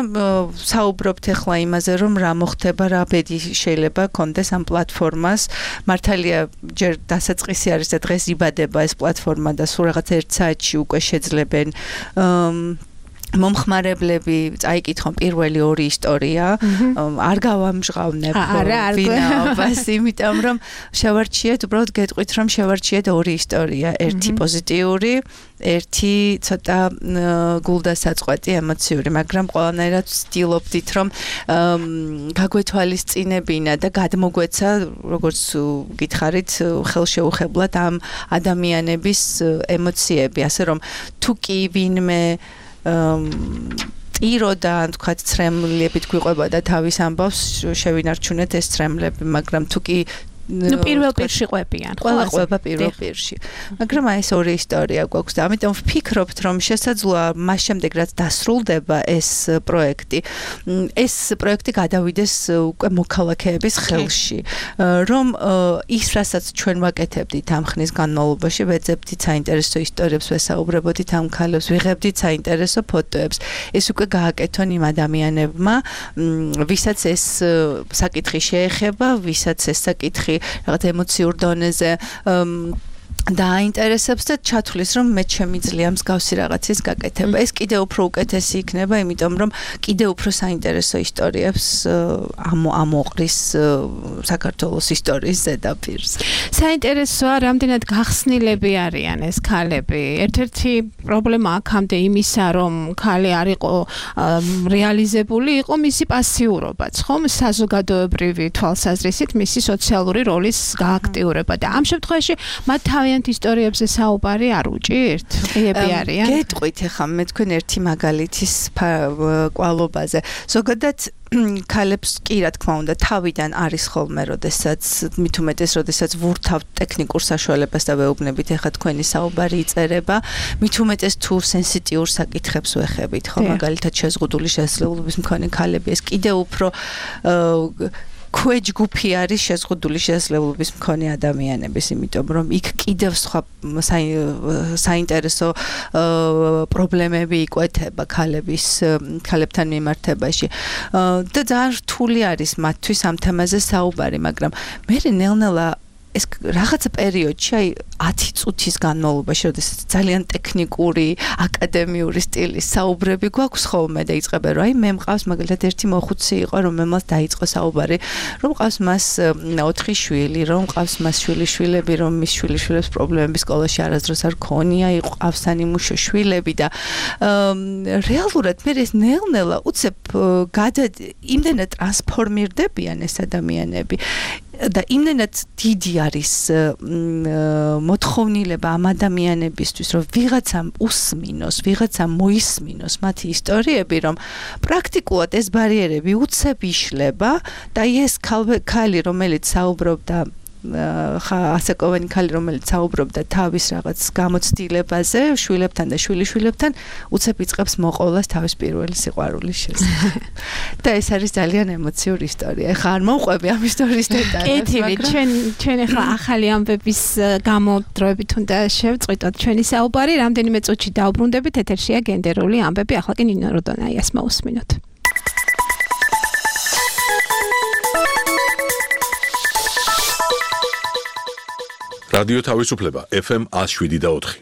საუბრობთ ახლა იმაზე, რომ რა მოხდება, რა ბედი შეიძლება კონდეს ამ პლატფორმას. მართალია ჯერ დასაწყისი არის და დღეს იბადება ეს პლატფორმა და სულ რაღაც 1 საათში უკვე შეძლებენ მომხმარებლები წაიკითხონ პირველი 2 ისტორია, არ გავამჟღავნებ ვინაობას, იმიტომ რომ შევარჩიეთ, უბრალოდ გეტყვით, რომ შევარჩიეთ 2 ისტორია, ერთი პოზიტიური, ერთი ცოტა გულდასაწყვეტი ემოციური, მაგრამ ყველანაირად ვცდილობდით, რომ გაგვეთვალისწინებინა და გადმოგვეცა, როგორც გითხარით, ხელშეუხებლად ამ ადამიანების ემოციები, ასე რომ თუ კი ვინმე ტიროდა, თქვათ, ცრემლებით გვიყვება და თავის ამბავს შევინარჩუნეთ ეს ცრემლები, მაგრამ თუ კი პირველ პირში ყვებიან, ყველა ყვება პირველ პირში. მაგრამ აი ეს 2 ისტორია გვაქვს და ამიტომ ვფიქრობთ, რომ შესაძლოა მას შემდეგ რაც დასრულდება ეს პროექტი, ეს პროექტი გადავიდეს უკვე მოქალაქეების ხელში, რომ ის რასაც ჩვენ ვაკეთებდით ამ ხნის განმავლობაში, ვეძებდით საინტერესო ისტორიებს, ვესაუბრებოდით ამ ქალებს, ვიღებდით საინტერესო ფოტოებს, ეს უკვე გააკეთონ იმ ადამიანებმა, ვისაც ეს საკითხი შეეხება, ვისაც ეს საკითხი რაღაც ემოციურ დონეზე დააინტერესებს და ჩათვლის, რომ მე შემიძლია მსგავსი რაღაცის გაკეთება. ეს კიდევ უფრო უკეთესი იქნება, იმიტომ რომ კიდევ უფრო საინტერესო ისტორიებს ამოყრის საქართველოს ისტორიის ზედაპირზე. საინტერესოა, რამდენად გახსნილები არიან ეს ქალები. ერთ-ერთი პრობლემა აქამდე იმისა, რომ ქალი არ იყო რეალიზებული, იყო მისი პასიურობაც, ხომ? საზოგადოებრივი თვალსაზრისით მისი სოციალური როლის გააქტიურება და ამ შემთხვევაში მათ თავიანთ ისტორიებზე საუბარი არ უჭირთ? ღიები არიან? გეტყვით ახლა მე თქვენ ერთი მაგალითის კვალობაზე. ზოგადად ქალებს კი რა თქმა უნდა თავიდან არის ხოლმე, როდესაც მით უმეტეს, როდესაც ვურთავთ ტექნიკურ საშუალებას და ვეუბნებით, ახლა თქვენი საუბარი იწერება, მით უმეტეს თუ სენსიტიურ საკითხებს ვეხებით, ხო, მაგალითად შეზღუდული შესაძლებლობის მქონე ქალები, ეს კიდევ უფრო ქვეჯგუფი არის შეზღუდული შესაძლებლობის მქონე ადამიანების, იმიტომ რომ იქ კიდევ სხვა საინტერესო პრობლემები იკვეთება ქალებთან მიმართებაში. და ძალიან რთული არის მათთვის ამ თემაზე საუბარი, მაგრამ მე ნელ-ნელა ეს რაღაცა პერიოდში, აი 10 წუთის განმავლობაში, როდესაც ძალიან ტექნიკური, აკადემიური სტილის საუბრები გვაქვს ხოლმე და იწყება, რომ აი მე მყავს მაგალითად ერთი მოხუცი იყო, რომელმაც დაიწყო საუბარი, რომ მყავს მას 4 შვილი, რომ მყავს მას შვილიშვილები, რომ მის შვილიშვილებს პრობლემები სკოლაში არასდროს არ ქონია, იყავს სანიმუშო შვილები და რეალურად მე ეს ნელ-ნელა უცებ იმდენად ტრანსფორმირდებიან ეს ადამიანები და იმდენად დიდი არის მოთხოვნილება ამ ადამიანებისთვის, რომ ვიღაცამ უსმინოს, ვიღაცამ მოისმინოს მათი ისტორიები, რომ პრაქტიკულად ეს ბარიერები უცებ იშლება და ეს ქალი, რომელიც საუბრობდა ასაკოვანი ქალი, რომელიც საუბრობდა თავის რაღაც გამოცდილებაზე, შვილებთან და შვილიშვილებთან, უცებ იწყებს მოყოლას თავის პირველი სიყვარულის შესახებ. და ეს არის ძალიან ემოციური ისტორია. ეხლა არ მოვყვები ამ ისტორიის დეტალებს, მაგრამ ჩვენ ეხლა ახალი ამბების გამოდროებით უნდა შევწყვიტოთ ჩვენი საუბარი, რამდენიმე წუთში დაუბრუნდებით, ეთერშია გენდერული ამბები, ახლა კი ნინო როდონაიას მოусმინოთ. რადიო თავისუფლება FM 107.4.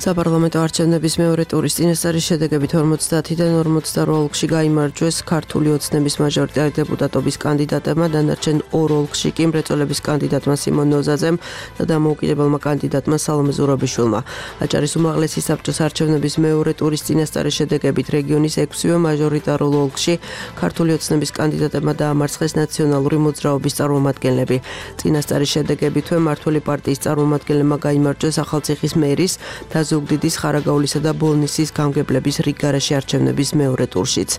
საპარლამენტო არჩევნების მეორე ტურის წინასწარი შედეგებით 50-დან 42 ოლქში გაიმარჯვეს ქართული ოცნების მაჟორიტარი დეპუტატობის კანდიდატებმა, დანარჩენ 2 ოლქში კი მრეწველების კანდიდატმა სიმონ ნოზაძემ და დამოუკიდებელმა კანდიდატმა სალომე ზურაბიშვილმა. აჭარის უმაღლესი საბჭოს არჩევნების მეორე ტურის წინასწარი შედეგებით რეგიონის 6-ვე მაჟორიტარულ ოლქში ქართული ოცნების კანდიდატებმა დაამარცხეს ნაციონალური მოძრაობის წარმომადგენლები. წინასწარი შედეგებითვე მმართველი პარტიის წარმომადგენლებმა გაიმარჯვეს ახალციხის მერის და ზუგდიდის, ხარაგაულისა და ბოლნისის გამგებლების რიგგარაში არჩევნების მეორე ტურშიც.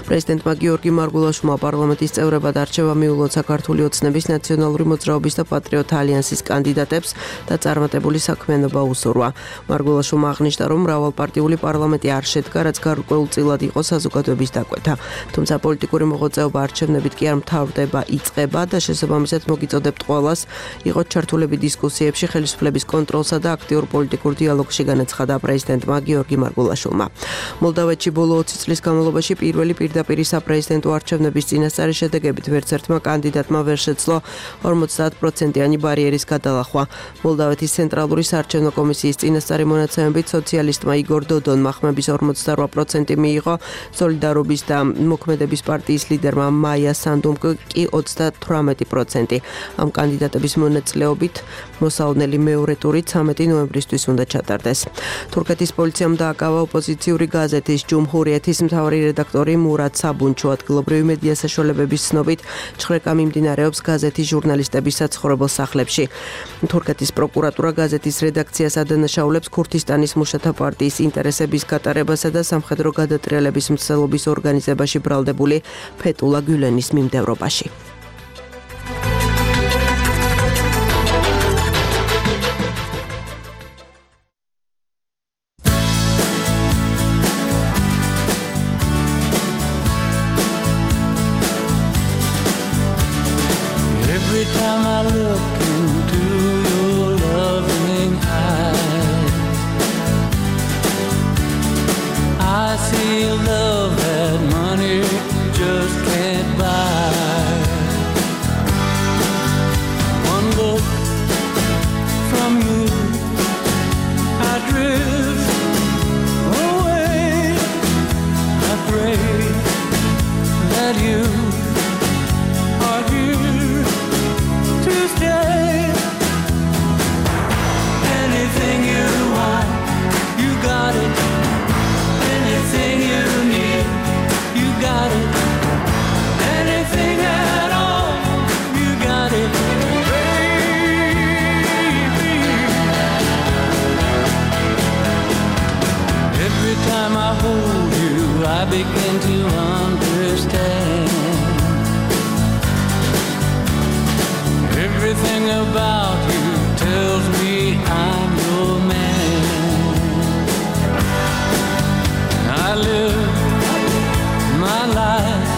პრეზიდენტმა გიორგი მარგულაშვილმა პარლამენტის წევრებად არჩევა მიულოცა საქართველოს ოცნების ნაციონალური მოძრაობის და პატრიოტთა ალიანსის კანდიდატებს და წარმატებული საქმიანობა უსურვა. მარგულაშვილმა აღნიშნა, რომ მრავალპარტიული პარლამენტი არ შედგა, რაც გარკვეულწილად იყო საზოგადოების დაკვეთა. თუმცა პოლიტიკური მოღვაწეობა არჩევნებით კი არ მთავრდება, იწყება და შესაბამისად მოგიწოდებთ ყველას იყოთ ჩართულები დისკუსიებში, ხელისუფლების კონტროლსა და აქტიურ პოლიტიკურ დიალოგში განაცხადა პრეზიდენტმა გიორგი მარგულაშვილმა. მოლდავეთში ბოლო 20 წლის განმავლობაში პირველი პირდაპირი საპრეზიდენტო არჩევნების წინასწარი შედეგებით ვერცერთმა კანდიდატმა ვერ შეძლო 50%-იანი ბარიერის გადალახვა. მოლდავეთის ცენტრალური საარჩევნო კომისიის წინასწარი მონაცემებით სოციალისტმა იგორ დოდონმა ხმების 48% მიიღო, სოლიდარობის და მოქმედების პარტიის ლიდერმა მაია სანდუმ კი 38%. ამ კანდიდატების მონაწილეობით მოსალოდნელი მეორე ტური 13 ნოემბრისთვის უნდა ჩატარდეს. თურქეთის პოლიციამ დააკავა ოპოზიციური გაზეთის ჯუმჰურიეთის მთავარი რედაქტორი მურად საბუნჩო. ადგილობრივი მედია საშუალებების ცნობით ჩხრეკა მიმდინარეობს გაზეთის ჟურნალისტების საცხოვრებელ სახლებში. თურქეთის პროკურატურა გაზეთის რედაქციას ადანაშაულებს ქურთისტანის მუშათა პარტიის ინტერესების გატარებასა და სამხედრო გადატრიალების მცდელობის ორგანიზებაში ბრალდებული ფეტულა გულენის მიმდევრობაში. Love that money just can't buy. begin to understand everything about you tells me I'm your man. I live my life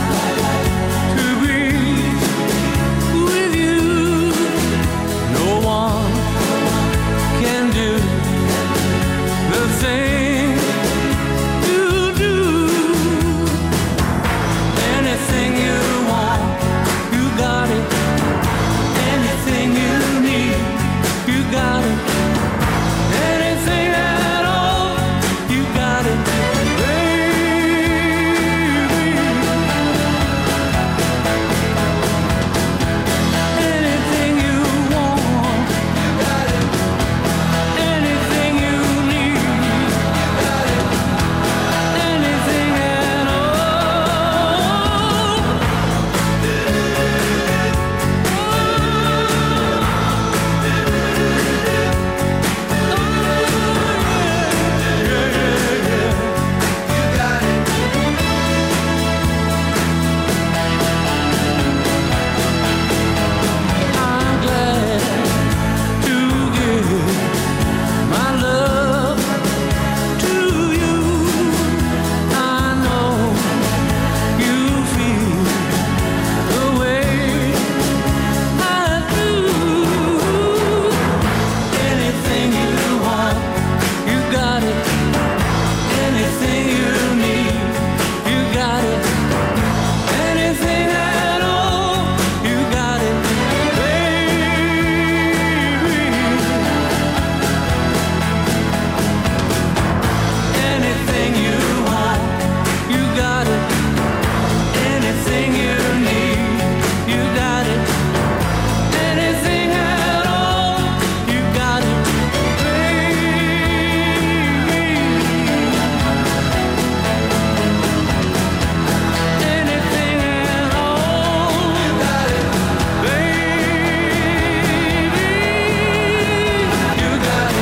to be with you. No one can do the thing you do. Anything you want, you got it. Anything you need, you got it. Anything at all, you got it, baby. Anything you want, you got it. Anything you need, you got it. Anything at all. I'm glad to give my love to you. I know you feel the way I do. Anything you want, you got it. Anything you need, you got it. Anything at all, you got it, baby. Anything you want, you got it. Anything you need, you got it. Anything at all, you got it, baby. Anything at all, you got it, baby. You got it.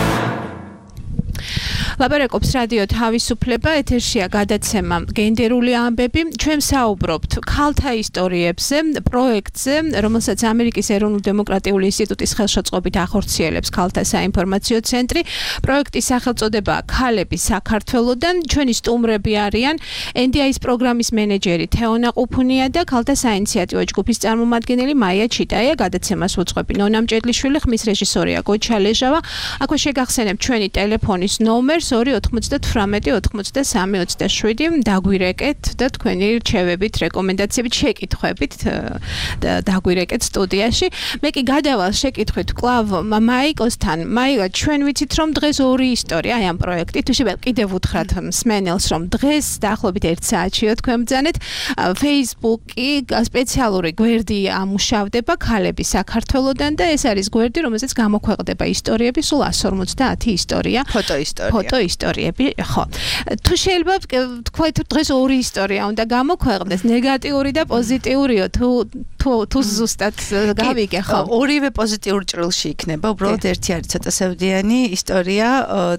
ლაპარაკობს რადიო თავისუფლება, ეთერშია გადაცემა გენდერული ამბები. ჩვენ საუბრობთ ქალთა ისტორიებზე, პროექტზე, რომელსაც ამერიკის ეროვნულ დემოკრატიული ინსტიტუტის ხელშეწყობით ახორციელებს ქალთა საინფორმაციო ცენტრი. პროექტის სახელწოდებაა ქალები საქართველოდან. ჩვენი სტუმრები არიან NDI-ის პროგრამის მენეჯერი თეონა ყუფუნია და ქალთა საინიციატივო ჯგუფის წარმომადგენელი მაია ჩიტაია. გადაცემას უძღვები ნონა მჭედლიშვილი, ხმის რეჟისორია გოჩა ლეჟავა. აქვე შეგახსენებთ ჩვენი ტელეფონის ნომერს 298-93-27 დაგვირეკეთ და თქვენი რჩევებით, რეკომენდაციებით, შეკითხვებით დაგვირეკეთ სტუდიაში. მე კი გადავალ შეკითხვით კლავ მაიკოსთან. მაიკა, ჩვენ ვიცით რომ დღეს ორი ისტორია აი ამ პროექტით. შეიძლება კიდევ უთხრათ მსმენელს რომ დღეს დაახლოებით 1 საათშიო თქვენ ბრძანეთ. Facebook-ი სპეციალური გვერდი ამუშავდება ქალები საქართველოდან და ეს არის გვერდი, რომელზეც გამოქვეყნდება ისტორიები, სულ 150 ისტორია. ფოტო ისტორიები, ხო. თუ შეიძლება თქვით დღეს ორი ისტორია უნდა გამოქვეყნდეს, ნეგატიური და პოზიტიურიო, თუ ზუსტად გავიგე, ხო. ორივე პოზიტიურ ჭრილში იქნება, უბრალოდ ერთი არის ცოტა სევდიანი ისტორია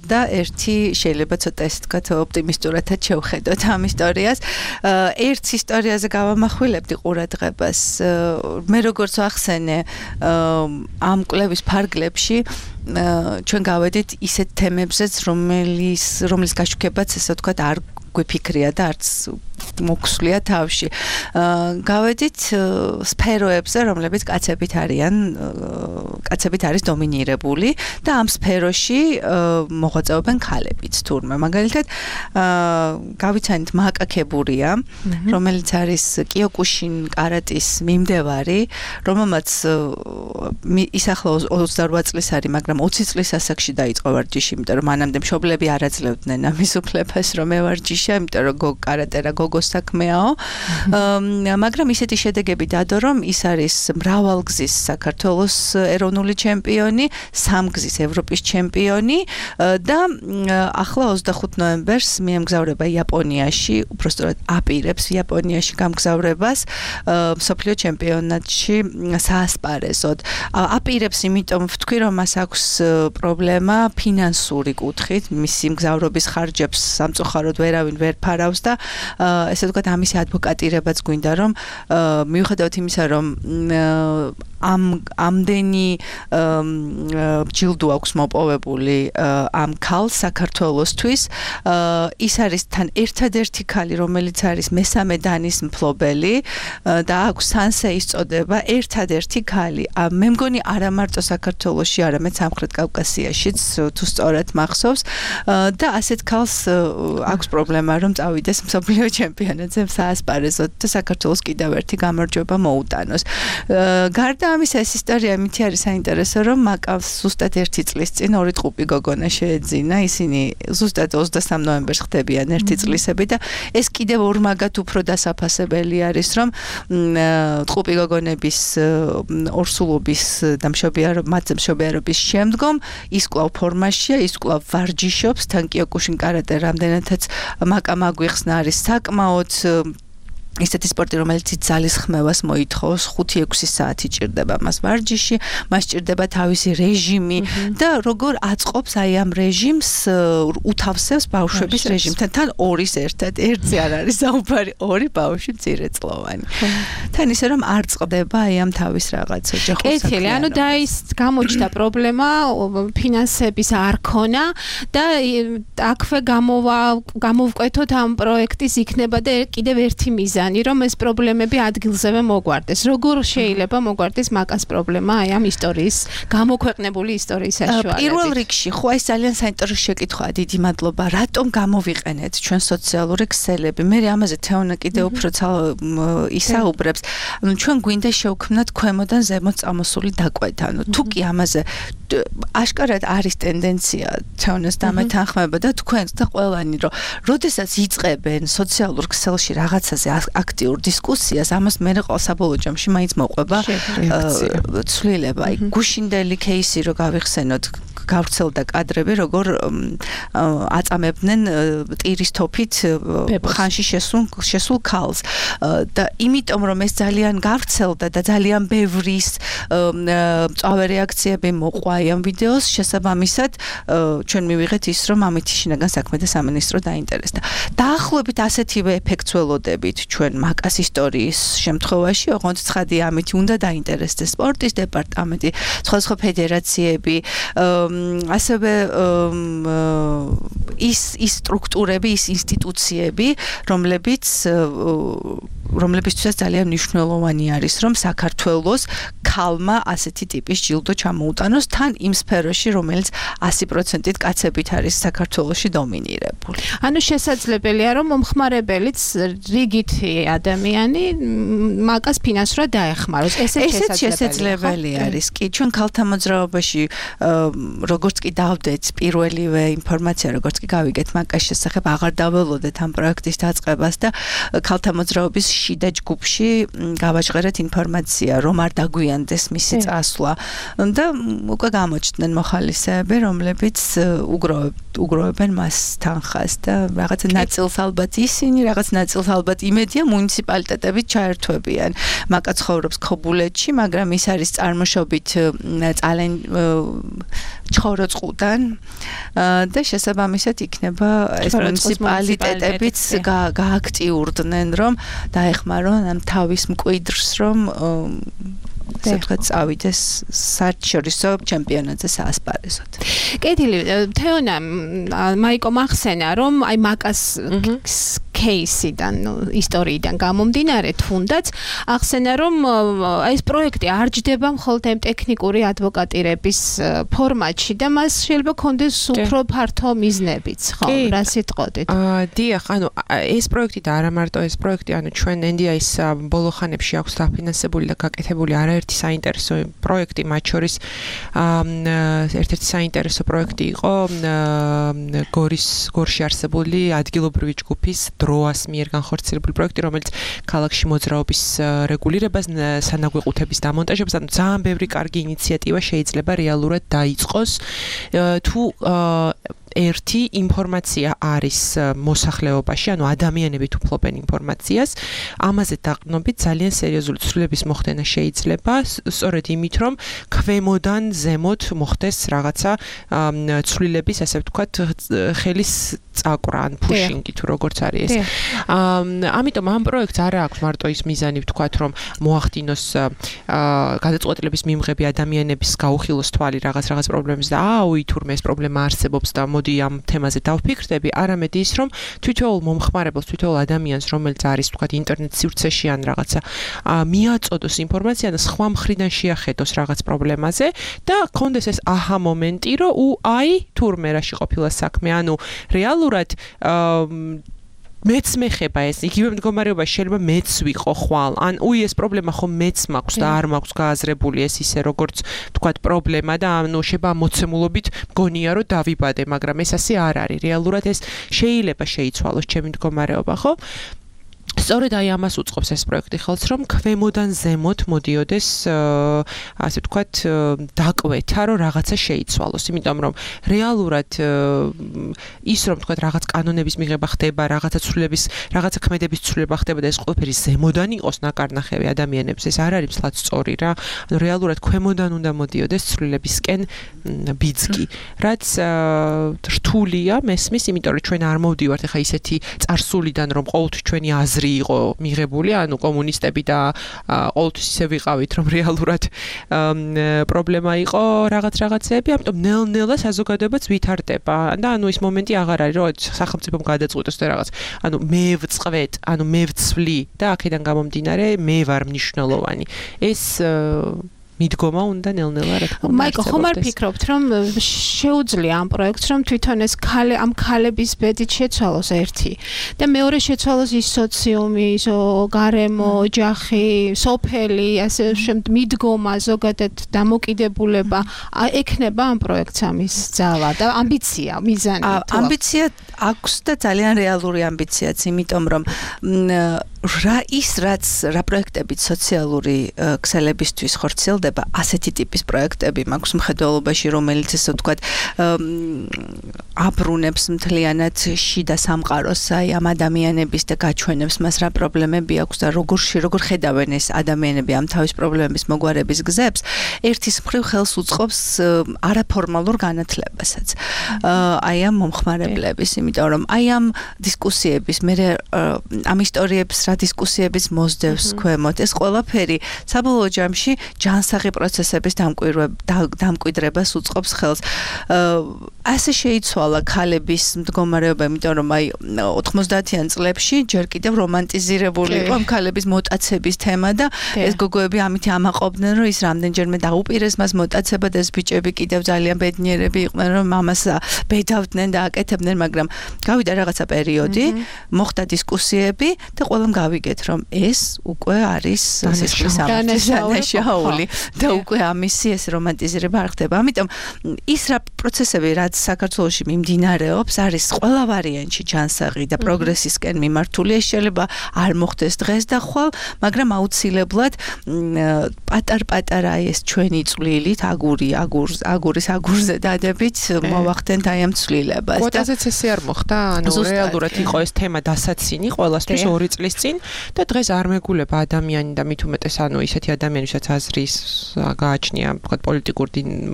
და ერთი შეიძლება ცოტა ესე ვთქვათ ოპტიმისტურადაც შევხედოთ ამ ისტორიას. ერთ ისტორიაზე გავამახვილებდი ყურადღებას. მე როგორც ვახსენე, ამ კვლევის ფარგლებში ჩვენ გავედით ისეთ თემებზეც, რომლის გაშუქებაც ესე ვთქვათ არ გვიფიქრია და არც მოგვსვლია თავში. გავედით სფეროებზე, რომლებიც კაცებით არის დომინირებული და ამ სფეროში მოღვაწეობენ ქალებიც თურმე. მაგალითად, გავიცანით მაკა ქებურია, რომელიც არის კიოკუშინ კარატის მიმდევარი, რომელმაც ის ახლა 28 წლის არის, მაგრამ 20 წლის ასაკში დაიწყო ვარჯიში, იმიტომ რომ მანამდე მშობლები არ აძლევდნენ ამის უფლებას, რომ ევარჯიშა, იმიტომ რომ კარატე რა გოგო საქართველოს საქმეაო. მაგრამ ისეთი შედეგები დადო, რომ ის არის მრავალგზის საქართველოს ეროვნული ჩემპიონი, სამგზის ევროპის ჩემპიონი და ახლა 25 ნოემბერს მიემგზავრება იაპონიაში, უბრალოდ აპირებს იაპონიაში გამგზავრებას მსოფლიო ჩემპიონატში საასპარეზოდ. აპირებს, იმიტომ ვთქვი, რომ მას აქვს პრობლემა ფინანსური კუთხით, მისი მგზავრობის ხარჯებს სამწუხაროდ ვერავინ ვერ ფარავს და ესე ვთქვათ, ამისი ადვოკატირებაც გვინდა, რომ მიუხედავად იმისა, რომ ამდენი ჯილდო აქვს მოპოვებული ამ ქალს საქართველოსთვის, ის არის თან ერთადერთი ქალი, რომელიც არის მესამე დანის მფლობელი და აქვს სანსეის წოდება, ერთადერთი ქალი. მე მგონი არა მარტო საქართველოში, არამედ სამხრეთ კავკასიაშიც, თუ სწორად მახსოვს და ასეთ ქალს აქვს პრობლემა, რომ წავიდეს მსოფლიო ჩემპიონატზე საასპარეზოდ და საქართველოს კიდევ ერთი გამარჯვება მოუტანოს. გარდა ამისა, ეს ისტორია მითი არის საინტერესო, რომ მაკავს ზუსტად 1 წლის წინ 2 ტყუპი გოგონა შეეძინა, ისინი ზუსტად 23 ნოემბერს ხდებიან 1 წლისები და ეს კიდევ ორმაგად უფრო დასაფასებელი არის, რომ ტყუპი გოგონების ორსულობის და მათზე მშობიარობის შემდგომ ის კვლავ ფორმაშია, ის კვლავ ვარჯიშობს, თან კიოკუშინ კარატე რამდენადაც მაკამ აგვიხსნა არის საკმაოდ ისეთი სპორტი, რომელიც ძალის ხმევას მოითხოვს, 5-6 საათი ჭირდება მას ვარჯიში, მას ჭირდება თავისი რეჟიმი და როგორ აწყობს აი ამ რეჟიმს, უთავსებს ბავშვების რეჟიმთან, თან ორის ერთად, ერთზე არ არის საუბარი, 2 ბავშვი მცირეწლოვანი. თან ისე რომ არ წყდება აი ამ თავის რაღაც ოჯახურ საქმიანობას. კეთილი, ანუ და ის გამოჩნდა პრობლემა, ფინანსების არ ქონა და აქვე გამოვკვეთოთ ამ პროექტის იქნება და კიდევ ერთი მიზანი, რომ ეს პრობლემები ადგილზევე მოგვარდეს. როგორ შეიძლება მოგვარდეს მაკას პრობლემა აი ამ ისტორიის, გამოქვეყნებული ისტორიის საშუალებით? პირველ რიგში, ხო ეს ძალიან საინტერესო შეკითხვაა, დიდი მადლობა. რატომ გამოვიყენეთ ჩვენ სოციალური ქსელები? მე ამაზე თეონა კიდევ უფრო ისაუბრებს. ანუ ჩვენ გვინდა შევქმნათ ქვემოდან ზემოთ წამოსული დაკვეთა. ანუ თუ კი ამაზე აშკარად არის ტენდენცია თეონას დამეთანხმება და თქვენ და ყველანი, რომ როდესაც იწყებენ სოციალურ ქსელში რაღაცაზე აქტიურ დისკუსიას, ამას მე საბოლოო ჯამში მაინც მოყვება ცვლილება. აი გუშინდელი кейსი რო გავიხსენოთ, გავრცელდა კადრები, როგორ აწამებდნენ ტირის თოფით ხანში შესულ ქალს და იმიტომ რომ ეს ძალიან გავრცელდა და ძალიან ბევრის მწვავე რეაქციები მოყვა ამ ვიდეოს, შესაბამისად ჩვენ მივიღეთ ის, რომ ამით შინაგან საქმეთა სამინისტრო დაინტერესდა. დაახლოებით ასეთივე ეფექტს ველოდებით ჩვენ მაკას ისტორიის შემთხვევაში, ოღონდ ცხადია ამით უნდა დაინტერესდეს სპორტის დეპარტამენტი, სხვადასხვა ფედერაციები, ასევე ის სტრუქტურები, ის ინსტიტუციები, რომლებიცაც ძალიან მნიშვნელოვანი არის, რომ საქართველოს ქალმა ასეთი ტიპის ჯილდო ჩამოუტანოს თან იმ სფეროში, რომელიც 100%-ით კაცებით არის საქართველოში დომინირებული. ანუ შესაძლებელია, რომ მომხმარებელიც რიგითი ადამიანი მაკას ფინანსურად დაეხმაროს. ესეც შესაძლებელი არის. კი, ჩვენ ქალთა მოძრაობაში როგორც კი დავდეთ პირველივე ინფორმაცია, როგორც კი გავიგეთ მაკას შესახებ, აღარ დაველოდეთ ამ პროექტის დაწყებას და ქალთა მოძრაობის შიდა ჯგუფში გავაჟღერეთ ინფორმაცია, რომ არ დაგვიანდეს მისი წასვლა და უკვე გამოჩნდნენ მოხალისეები, რომლებიც უგროვებენ მას თანხას და რაღაც ნაწილს ალბათ ისინი, რაღაც ნაწილს ალბათ იმედია მუნიციპალიტეტებით ჩაერთვებიან. მაკა ცხოვრობს ქობულეთში, მაგრამ ის არის წარმოშობით ჩხოროწყუდან და შესაბამისად იქნება ეს მუნიციპალიტეტებიც გააქტიურდნენ, რომ დაეხმარონ ამ თავის მკვიდრს, რომ სადღაც წავიდეს საერთაშორისო ჩემპიონატზე საასპარეზოდ. კეთილი, თეონა, მაიკო მახსენა, რომ აი მაკას кейსიდან, ისტორიიდან გამომდინარე თუნდაც ახსენა, რომ ეს პროექტი არ ჯდება მხოლოდ ამ ტექნიკური ადვოკატირების ფორმატში და მას შეიძლება კონდეს უფრო ფართო მიზნებიც, ხო? რა სიტყოდით? დიახ, ანუ ეს პროექტი და არა მარტო ეს პროექტი, ანუ ჩვენ NDI-ს ბოლო ხანებში აქვს დაფინანსებული და გაკეთებული არაერთი საინტერესო პროექტი, მათ შორის ერთ-ერთი საინტერესო პროექტი იყო გორში არსებული ადგილობრივი ჯგუფის როას მიერ განხორციელებული პროექტი, რომელიც ქალაქში მოძრაობის რეგულირებას, სანაგვეყუთების დამონტაჟებას, ანუ ძალიან ბევრი კარგი ინიციატივა შეიძლება რეალურად დაიწყოს, თუ ერთი ინფორმაცია არის მოსახლეობაში, ანუ ადამიანები თუ ფლობენ ინფორმაციას, ამაზე დაყრდნობით ძალიან სერიოზული ცვლილების მოხდენა შეიძლება, სწორედ იმით, რომ ქვემოდან ზემოთ მოხდეს რაღაცა ცვლილების, ასე ვთქვათ, ხელის წაკვრა, ან pushing-ი თუ როგორც არის ეს. ამიტომ ამ პროექტს არ აქვს მარტო ის მიზანი, ვთქვათ, რომ მოახდინოს გადაწყვეტილების მიმღები ადამიანების გაუხილოს თვალი რაღაც პრობლემებს და თურმე ეს პრობლემა არსებობს და მოდი ამ თემაზე დავფიქრდები, არამედ ის, რომ თითოეულ მომხმარებელს, თითოეულ ადამიანს, რომელიც არის, ვთქვათ, ინტერნეტ სივრცეში ან რაღაცა, მიაწოდოს ინფორმაცია და სხვა მხრიდან შეახედოს რაღაც პრობლემაზე და კონდეს ეს აჰა მომენტი, რომ თურმე რაში ყოფილა საქმე, ანუ რეალურად მეც მეხება ეს, იგივე მდგომარეობაში შეიძლება მეც ვიყო ხვალ, ან ეს პრობლემა ხომ მეც მაქვს და არ მაქვს გააზრებული ეს ისე როგორც თქვათ პრობლემა და შეიძლება მოცემულობით მგონია რომ დავიბადე, მაგრამ ეს ასე არ არის. რეალურად ეს შეიძლება შეიცვალოს ჩემი მდგომარეობა, ხო? სწორედ ამას უწყობს ეს პროექტი ხელს, რომ ქვემოდან ზემოთ მოდიოდეს, ასე ვთქვათ, დაკვეთა, რომ რაღაცა შეიცვალოს, იმიტომ რომ რეალურად ის რომ ვთქვათ, რაღაც კანონების მიღება ხდება, რაღაცა ცვლილების, რაღაცა ქმედების ცვლილება ხდება და ეს ყველაფერი ზემოდან იყოს ნაკარნახევი ადამიანებს, ეს არ არის მსლად სწორი რა. ანუ რეალურად ქვემოდან უნდა მოდიოდეს ცვლილებისკენ ბიძგი, რაც რთულია მესმის, იმიტომ რომ ჩვენ არ მოვდივართ ახლა ისეთი წარსულიდან, რომ ყოველთვის ჩვენი აზრი იყო მიღებული, ანუ კომუნისტები და ყოველთვის ისე ვიყავით, რომ რეალურად პრობლემა იყო რაღაცეები, ამიტომ ნელ-ნელა საზოგადოებაც ვითარდება და ანუ ის მომენტი აღარ არის, რომ სახელმწიფომ გადაწყვიტოს და რაღაც, ანუ მე ვწყვეტ, ანუ მე ვცვლი და აქედან გამომდინარე მე ვარ მნიშვნელოვანი. ეს მიდგომა უნდა ნელ-ნელა რა თქმა უნდა. მაიკო, ხომ არ ფიქრობთ, რომ შეუძლია ამ პროექტს, რომ თვითონ ეს ამ ქალების ბედით შეცვალოს ერთი და მეორე შეცვალოს ის სოციუმი, ის გარემო, ოჯახი, სოფელი, ასე შემდეგ მიდგომა, ზოგადად დამოკიდებულება, ექნება ამ პროექტს ამის ძალა და ამბიცია, მიზანი. ამბიცია აქვს და ძალიან რეალური ამბიციაც, იმიტომ რომ რა პროექტებით სოციალური ქსელებისთვის ხორციელდება, ასეთი ტიპის პროექტები მაქვს მხედველობაში, რომელიც ესე ვთქვათ აბრუნებს მთლიანად შიდა სამყაროს ამ ადამიანების და გაჩვენებს მას რა პრობლემები აქვს და როგორ ხედავენ ეს ადამიანები ამ თავის პრობლემების მოგვარების გზებს, ერთის მხრივ ხელს უწყობს არაფორმალურ განათლებასაც. ამ მომხმარებლების, იმიტომ რომ ამ დისკუსიების, ამ ისტორიების რა დისკუსიების მოსდევს ქვემოთ, ეს ყველაფერი საბოლოო ჯამში ჯანსაღი პროცესების დამკვიდრებას უწყობს ხელს. ასე შეიცვალა ქალების მდგომარეობა, იმიტომ რომ 90-იან წლებში ჯერ კიდევ რომანტიზირებული იყო ამ ქალების მოტაცების თემა და ეს გოგოები ამით ამაყობდნენ, რომ ის რამდენჯერმე დაუპირეს მას მოტაცება და ეს ბიჭები კიდევ ძალიან ბედნიერები იყვნენ, რომ მამას ბედავდნენ და აკეთებდნენ, მაგრამ გავიდა რაღაცა პერიოდი, მოხდა დისკუსიები და ყველამ გავიგეთ, რომ ეს უკვე არის დანაშაული და უკვე ამისი ეს რომანტიზირება არ ხდება. ამიტომ ის რა პროცესები, რაც საქართველოში მიმდინარეობს, არის ყველა ვარიანტში ჯანსაღი და პროგრესისკენ მიმართული. ეს შეიძლება არ მოხდეს დღეს და ხვალ, მაგრამ აუცილებლად პატარ-პატარა ეს ჩვენი წვლილით, აგურის აგურზე დადებით მოვახდენთ აი ამ ცვლილებას. კვოტაზეც ესე არ მოხდა, ანუ რეალურად იყო ეს თემა დასაცინი ყველასთვის 2 წლის წინ და დღეს არ მეგულება ადამიანი და მით უმეტეს ანუ ისეთი ადამიანი, ვისაც აზრის გააჩნია, თქვა პოლიტიკურ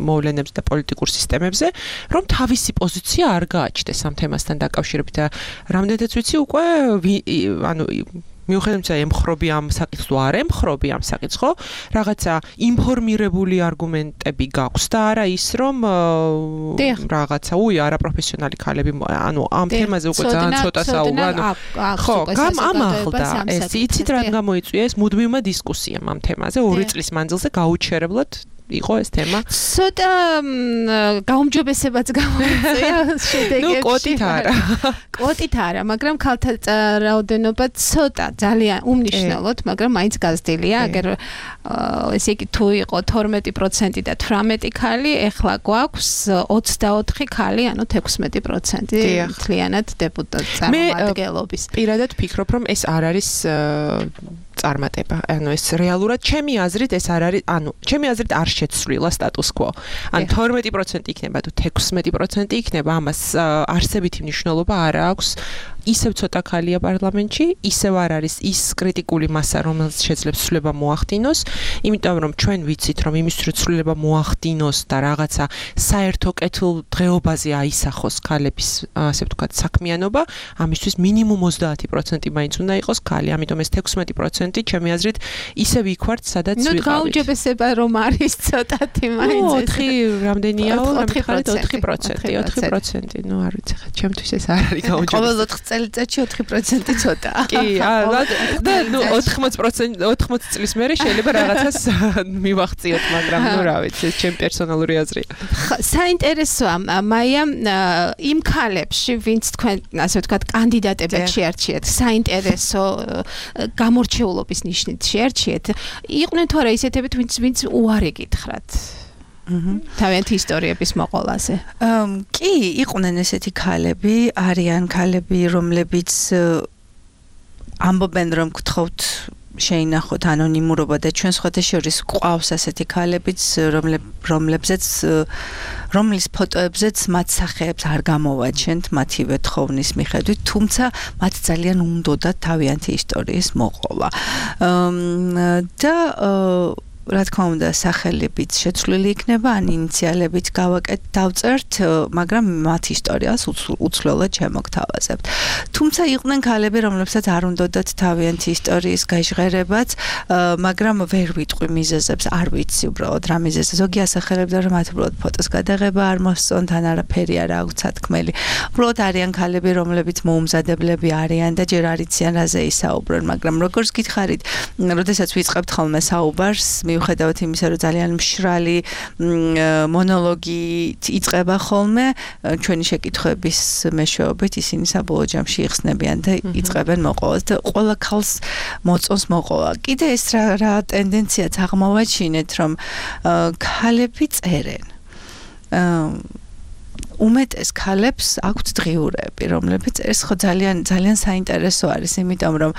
მოვლენებს და პოლიტიკურ სისტემებზე, რომ თავისი პოზიცია არ გააჩნდეს ამ თემასთან დაკავშირებით და რამდენადაც ვიცი უკვე ანუ მიუხედავად ემხრობი ამ საკითხს თუ არ ემხრობი ამ საკითხს, ხო? რაღაცა ინფორმირებული არგუმენტები გაქვს და არა ის, რომ რაღაცა არაპროფესიონალი ქალები, ანუ ამ თემაზე უკვე ძალიან ცოტა საუბარი, ხო, ამაღლდა ეს, იცით რა გამოიწვია ეს მუდმივმა დისკუსიამ ამ თემაზე 2 წლის მანძილზე გაუჩერებლად იყო ეს თემა? ცოტა გაუმჯობესებაც გამოიწვია შედეგებში. კვოტით არა, მაგრამ ქალთა რაოდენობა ცოტა ძალიან უმნიშვნელოდ, მაგრამ მაინც გაზრდილია, აგერ ესე იგი თუ იყო 12% და 18 ქალი, ეხლა გვაქვს 24 ქალი, ანუ 16% მთლიანად დეპუტატ წარმომადგენლობის. პირადად ფიქრობ, რომ ეს არ არის წარმატება. ანუ ეს რეალურად ჩემი აზრით ეს არ არის, ანუ ჩემი აზრით არ შეცვლილა status quo. ან 12% იქნება თუ 16% იქნება, ამას არსებითი მნიშვნელობა არ აქვს. ისევ ცოტა ქალია პარლამენტში, ისევ არ არის ის კრიტიკული მასა, რომელიც შეძლებს ცვლილება მოახდინოს, იმიტომ რომ ჩვენ ვიცით, რომ იმის რომ ცვლილება მოახდინოს და რაღაცა საერთო კეთილ დღეობაზე აისახოს ქალების, ასე ვთქვათ, საქმიანობა, ამისთვის მინიმუმ 30% მაინც უნდა იყოს ქალი, ამიტომ ეს 16% ჩემი აზრით ისევ იქ ვართ, სადაც ვიყავით. ნუ გაუმჯობესება რომ არის ცოტათი მაინც. 4 რამდენიაო? 4%, ნუ არ ვიცი ხა, ჩემთვის ეს არ არის გაუმჯობესება. წელიწადში 4% ცოტა. კი, და ნუ 80 წლის მერე შეიძლება რაღაცას მივახციოთ, მაგრამ ნუ რა ვიცი, ეს ჩემი პერსონალური აზრია. საინტერესოა, მაია, იმ ქალებში, ვინც თქვენ, ასე ვთქვათ, კანდიდატებად შეარჩიეთ, საინტერესო გამორჩეულობის ნიშნით შეარჩიეთ, იყვნენ თუ არა ისეთები, ვინც უარი გითხრათ? თავიანთი ისტორიების მოყოლაზე. კი, იყვნენ ესეთი ქალები, არიან ქალები, რომლებიც ამბობენ, რომ გთხოვთ შეინახოთ ანონიმურობა და ჩვენ სხვათა შორის გვყავს ასეთი ქალებიც, რომლის ფოტოებზეც მათ სახეებს არ გამოვაჩენთ მათივე თხოვნის მიხედვით, თუმცა მათ ძალიან უნდოდათ თავიანთი ისტორიის მოყოლა. და რა თქმა უნდა, სახელებიც შეცვლილი იქნება, ან ინიციალებით დავწერთ, მაგრამ მათ ისტორიას უცვლელად შემოგთავაზებთ. თუმცა იყვნენ ქალები, რომლებსაც არ უნდათ თავიანთი ისტორიის გაჟღერებაც, მაგრამ ვერ ვიტყვი მიზეზებს, არ ვიცი უბრალოდ რა მიზეზი. ზოგი ასახელებდა, რომ მათ უბრალოდ ფოტოს გადაღება არ მოსწონთ, ან არაფერი არ აქვს სათქმელი. უბრალოდ არიან ქალები, რომლებიც მოუმზადებლები არიან და ჯერ არ იციან რაზე ისაუბრონ, მაგრამ როგორც გითხარით, როდესაც ვიწყებთ ხოლმე საუბარს, მიუხედავად იმისა, რომ ძალიან მშრალი მონოლოგი იწყება ხოლმე, ჩვენი შეკითხვების მეშვეობით ისინი საბოლოო ჯამში იხსნებიან და იწყებენ მოყოლას და ყველა ქალს მოწონს მოყოლა. კიდე ეს რა ტენდენციაც აღმოვაჩინეთ, რომ ქალები წერენ. უმეტეს ქალებს აქვთ დღიურები, რომლებიც ეს ხო ძალიან საინტერესო არის, იმიტომ რომ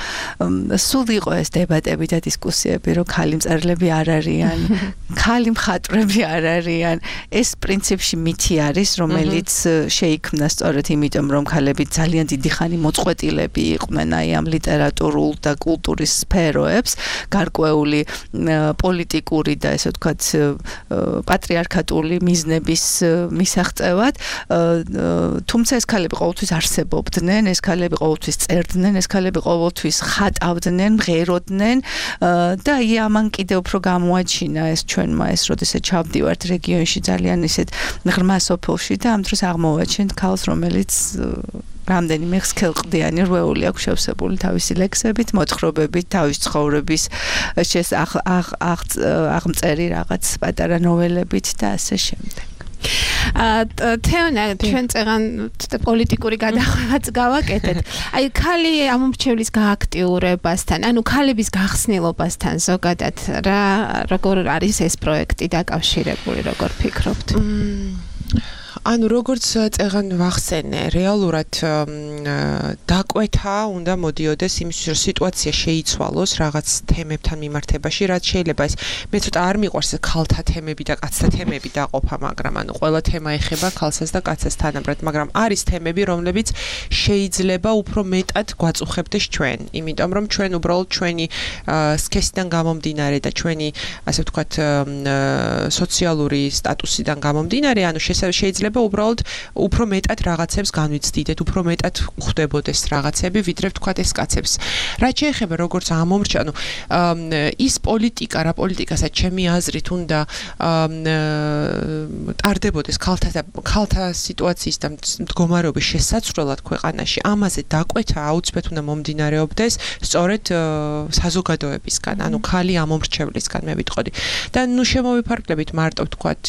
სულ იყო ეს დებატები და დისკუსიები, რომ ხალი მწერლები არ არიან, ხალი მხატვრები არ არიან. ეს პრინციპში მითი არის, რომელიც შეიქმნა სწორედ იმიტომ, რომ ქალები ძალიან დიდი ხანი მოწყვეტილები იყვნენ აი ამ ლიტერატურულ და კულტურის სფეროებს, გარკვეული პოლიტიკური და ესე ვთქვათ პატრიარქატული მიზნების მისაღწევად. თუმცა ეს ქალები ყოველთვის არსებობდნენ, ეს ქალები ყოველთვის წერდნენ, ეს ქალები ყოველთვის ხატავდნენ, მღეროდნენ და ამან კიდე უფრო გამოაჩინა ეს ჩვენმა ეს როდესაც ჩავდივართ რეგიონში ძალიან ისეთ ღრმა სოფელში და ამ დროს აღმოვაჩენთ ქალს, რომელიც რამდენიმე ხსქელყდიანი რვეული აქვს შევსებული თავისი ლექსებით, მოთხრობებით, თავის ცხოვრების აღმწერი რაღაც პატარა ნოველებით და ასე შემდეგ. თეონა, ჩვენ წეგან პოლიტიკური გადახვევაც გავაკეთეთ. აი, ქალი ამომრჩევლის გააქტიურებასთან, ანუ ქალების გახსნილობასთან ზოგადად როგორ არის ეს პროექტი დაკავშირებული, როგორ ფიქრობთ? ანუ როგორც წეგან ვახსენე, რეალურად დაკვეთა უნდა მოდიოდეს იმის, რომ სიტუაცია შეიცვალოს რაღაც თემებთან მიმართებაში, რაც შეიძლება ეს მე ცოტა არ მიყვარს ქალთა თემები და კაცთა თემები დაყოფა, მაგრამ ანუ ყველა თემა ეხება ქალსაც და კაცას თანაბრად, მაგრამ არის თემები, რომლებიც შეიძლება უფრო მეტად გვაწუხებდეს ჩვენ, იმიტომ რომ ჩვენ უბრალოდ ჩვენი სქესიდან გამომდინარე და ჩვენი, ასე ვთქვათ, სოციალური სტატუსიდან გამომდინარე, ანუ შეიძლება შეიძლება უბრალოდ უფრო მეტად რაღაცებს განვიცდიდეთ, უფრო მეტად ხვდებოდეს რაღაცები, ვიდრე ვთქვათ ეს კაცებს. რაც შეეხება როგორც ამომრჩა, ის პოლიტიკა, რა პოლიტიკასაც ჩემი აზრით უნდა ტარდებოდეს ქალთა სიტუაციის და მდგომარეობის შესაცვლელად ქვეყანაში, ამაზე დაკვეთა აუცილებლად უნდა მომდინარეობდეს სწორედ საზოგადოებისგან, ანუ ქალი ამომრჩევლისგან მე ვიტყოდი. და შემოვიფარგლებით მარტო ვთქვათ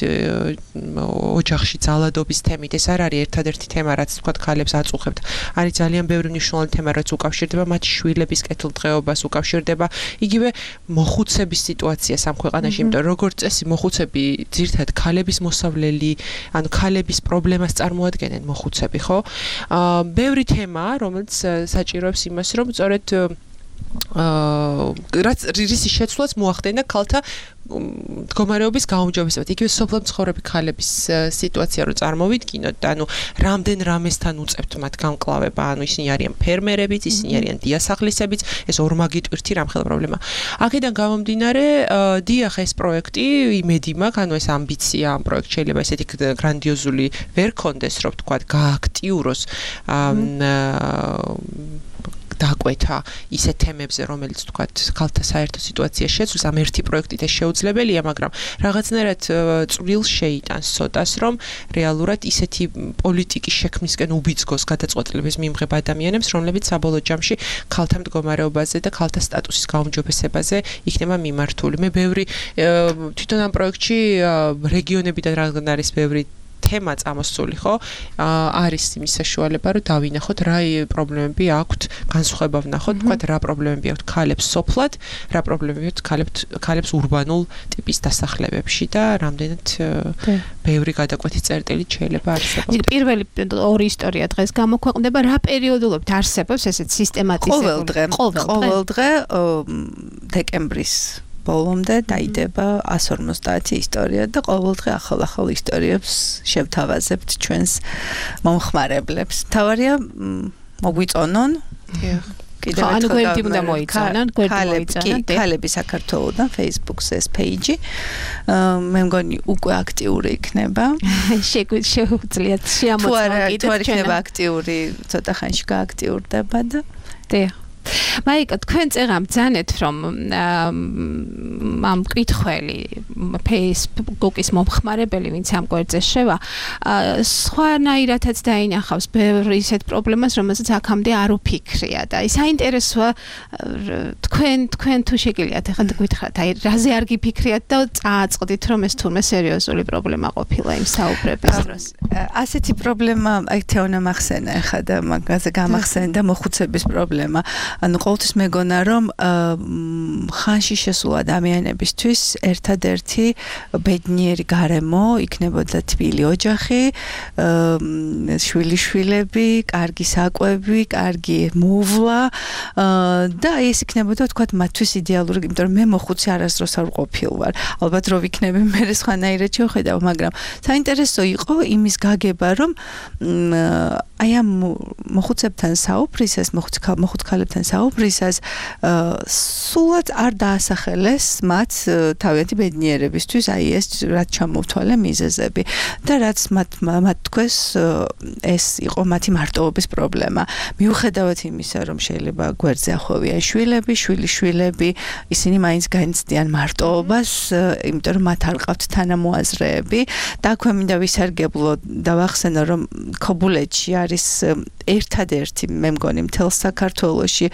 ოჯახში ძალადობის თემით, ეს არ არის ერთადერთი თემა, რაც ვთქვათ ქალებს აწუხებთ. არის ძალიან ბევრი მნიშვნელოვანი თემა, რაც უკავშირდება მათ შვილების კეთილდღეობას, უკავშირდება იგივე მოხუცების სიტუაციას ამ ქვეყანაში, იმიტომ როგორც წესი მოხუცები ძირთად ქალების მოსავლელი, ანუ ქალების პრობლემას წარმოადგენენ მოხუცები, ხო? ბევრი თემაა, რომელიც საჭიროებს იმას, რომ სწორედ რაც რისის შეცვლაც მოახდენა ქალთა მდგომარეობის გაუმჯობესებად. იგივე სოფლო მცხოვრები ქალების სიტუაცია რო წარმოვიდგინოთ, ანუ რამდენ რამესთან უწევთ მათ გამკლავება, ანუ ისინი არიან ფერმერებიც, ისინი არიან დიასახლისებიც, ეს ორმაგი ტვირთი რამხელა პრობლემა. აქედან გამომდინარე, დიახ, ეს პროექტი იმედი მაქვს, ანუ ეს ამბიცია ამ პროექტს შეიძლება ესეთი გრანდიოზული ვერ კონდეს, რომ ვთქვათ, გააქტიუროს დაკვეთა ისეთ თემებზე, რომელიც ვთქვათ, ქალთა საერთო სიტუაცია შეცვლის, ამ ერთი პროექტით ეს შეუძლებელია, მაგრამ რაღაცნაირად წვრილ შეიტანს ცოტას, რომ რეალურად ისეთი პოლიტიკის შექმნისკენ უბიძგოს გადაწყვეტილების მიმღებ ადამიანებს, რომლებიც საბოლოო ჯამში ქალთა მდგომარეობაზე და ქალთა სტატუსის გაუმჯობესებაზე იქნება მიმართული. მე ბევრი თვითონ ამ პროექტში რეგიონებიდან რადგან არის ბევრი თემა წამოსული, ხო? არის იმის საშუალება, რომ დავინახოთ რა პრობლემები აქვთ, განსხვავება ვნახოთ, თქვათ რა პრობლემები აქვთ ქალებს სოფლად, რა პრობლემები აქვთ ქალებს ურბანულ ტიპის დასახლებებში და რამდენად ბევრი გადაკვეთის წერტილი შეიძლება არსებობს. პირველი ორი ისტორია დღეს გამოქვეყნდება, რა პერიოდულობით არსებობს ესეთ სისტემატიზებული? ყოველ დღე დეკემბრის ბოლომდე დაიდება 150 ისტორია და ყოველდღე ახალ ისტორიებს შევთავაზებთ ჩვენს მომხმარებლებს. თავარია მოგვიწონონ. კიდევ ერთხელ გვერდი უნდა მოიწონონ, ქალები საქართველოსთან Facebook-ზე ეს პეიჯი. მე მგონი უკვე აქტიური იქნება. შეუძლიათ შეამოწმოთ თუ არ იქნება აქტიური, ცოტა ხანში გააქტიურდება და დიახ. მაიკა, თქვენ წეღამ ბრძანეთ, რომ ამ კითხველი Facebook-ის მომხმარებელი, ვინც ამ გვერდზე შევა, სხვანაირადაც დაინახავს ბევრი ისეთ პრობლემას, რომელსაც აქამდე არ უფიქრია და საინტერესოა თქვენ თუ შეგიძლიათ ახლა გითხრათ, აი რაზე არ გიფიქრიათ და წააწყდით, რომ ეს თურმე სერიოზული პრობლემა ყოფილა იმ საუბრების დროს. ასეთი პრობლემა, აი თეონა მახსენა ახლა და მაგაზე გამახსენდა მოხუცების პრობლემა. ანუ ყოველთვის მეგონა, რომ ხანში შესულ ადამიანებისთვის ერთადერთი ბედნიერი გარემო იქნებოდა თბილი ოჯახი, შვილიშვილები, კარგი საკვები, კარგი მოვლა და ეს იქნებოდა თქვათ მათთვის იდეალური, იმიტომ რომ მე მოხუცი არასდროს არ ყოფილ ვარ. ალბათ რო ვიქნები მე სხვანაირად შევხედავ, მაგრამ საინტერესო იყო იმის გაგება, რომ აი ამ მოხუცებთან საუბრისას, მოხუც ქალებთან საუბრისას სულად არ დაასახელეს მათ თავიანთი ბედნიერებისთვის, აი ეს რაც ჩამოვთვალე მიზეზები და რაც მათ თქვეს ეს იყო მათი მარტოობის პრობლემა. მიუხედავად იმისა, რომ შეიძლება გვერდზე ახვევიან შვილები, შვილიშვილები, ისინი მაინც განიცდიან მარტოობას, იმიტომ რომ მათ არ ყავთ თანამოაზრეები და აქვე მინდა ვისარგებლო და ვახსენო, რომ ქობულეთში არის ერთადერთი, მე მგონი, მთელ საქართველოში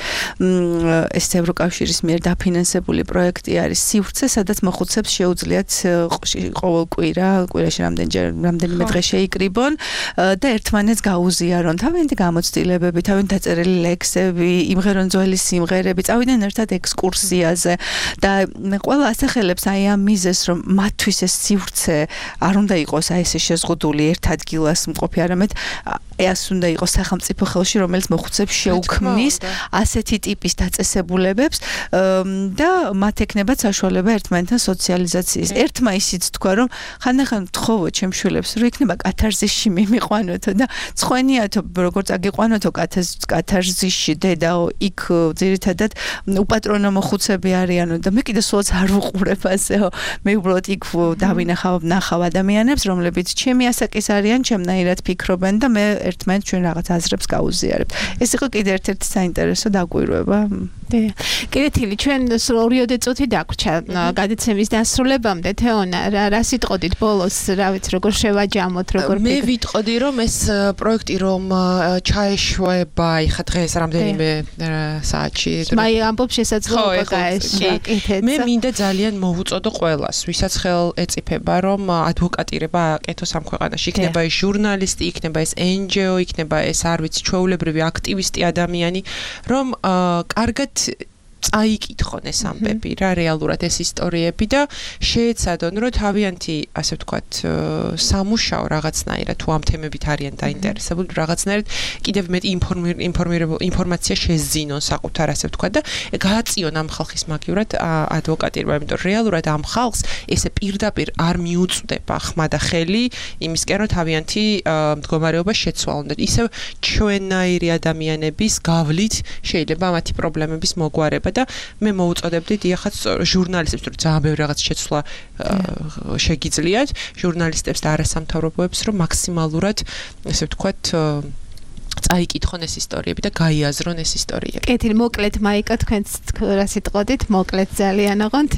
ეს ევროკავშირის მიერ დაფინანსებული პროექტი არის სივრცე, სადაც მოხუცებს შეუძლიათ ყოველ კვირაში რამდენიმე დღე შეიკრიბონ და ერთმანეთს გაუზიარონ თავიანთი გამოცდილებები, თავიანთი დაწერილი ლექსები, იმღერონ ძველი სიმღერები, წავიდნენ ერთად ექსკურსიაზე და ყველა ასახელებს აი ამ მიზეზს, რომ მათთვის ეს სივრცე არ უნდა იყოს აი ესე შეზღუდული ერთ ადგილას მყოფი, არამედ ეს უნდა იყოს სახელმწიფო ხელში, რომელიც მოხუცებს შეუქმნის ასეთი ტიპის დაწესებულებებს და მათ ექნებათ საშუალება ერთმანეთთან სოციალიზაციის. ერთმა ისიც თქვა, რომ ხანდახან თხოვო ჩემ შვილებს, რომ იქნება კათარზისში მიმიყვანოთო და ცხვენიათო როგორც აგიყვანოთო კათარზისში დედაო, იქ ძირითადად უპატრონო მოხუცები არიანო და მე კიდე სულაც არ ვუყურებ ასეო. მე უბრალოდ იქ ნახავ ადამიანებს, რომლებიც ჩემი ასაკის არიან, ჩემნაირად ფიქრობენ და მე ერთმანეთს ჩვენ რაღაც აზრებს გავუზიარებთ. ეს იყო კიდე ერთ-ერთი საინტერესო დაკვირვება. კიდე თილი, ჩვენ 2 წუთი დაგვრჩა გადაცემის დასრულებამდე. თეონა, რა სიტყოდით ბოლოს, რა ვიცი, როგორ შევაჯამოთ, როგორ მე ვიტყოდი, რომ ეს პროექტი რომ ჩაეშვება, იხა დღეს რამდენიმე საათში. მაი ამბობ შესაძლოა გაეშვა. მე მინდა ძალიან მოვუწოდო ყველას, ვისაც ხელ ეწიფება, რომ ადვოკატირება აკეთოს ამ ქვეყანაში. იქნება ეს ჟურნალისტი, იქნება ეს NGO, იქნება ეს არ ვიცი, ჩვეულებრივი აქტივისტი ადამიანი, რომ კარგად წაიკითხონ ეს ამბები რა რეალურად ეს ისტორიები და შეეცადონ რომ თავიანთი ასე ვთქვათ სამუშაო რაღაცნაირად თუ ამ თემებით არიან დაინტერესებული რაღაცნაირად კიდევ მეტ ინფორმაცია შეზინონ საკუთარ ასე ვთქვათ და გააწიონ ამ ხალხის მაგივრად ადვოკატირება იმიტომ რეალურად ამ ხალხს ესე პირდაპირ არ მიუწვდება ხმა და ხელი იმისკენ რომ თავიანთი მდგომარეობა შეცვალონ და ისევ ჩვენნაირი ადამიანების გავლით შეიძლება მათი პრობლემების მოგვარება და მე მოუწოდებდი დიახაც ჟურნალისტებს რომ ძალიან ბევრი რაღაც შეცვლა შეგიძლიათ ჟურნალისტებს და არასამთავრობოებს რომ მაქსიმალურად ესე ვთქვათ წაიკითხონ ეს ისტორიები და გაიაზრონ ეს ისტორიები. კეთილი, მოკლედ მაიკა თქვენც რა სიტყვოდით, მოკლედ ძალიან ოღონდ.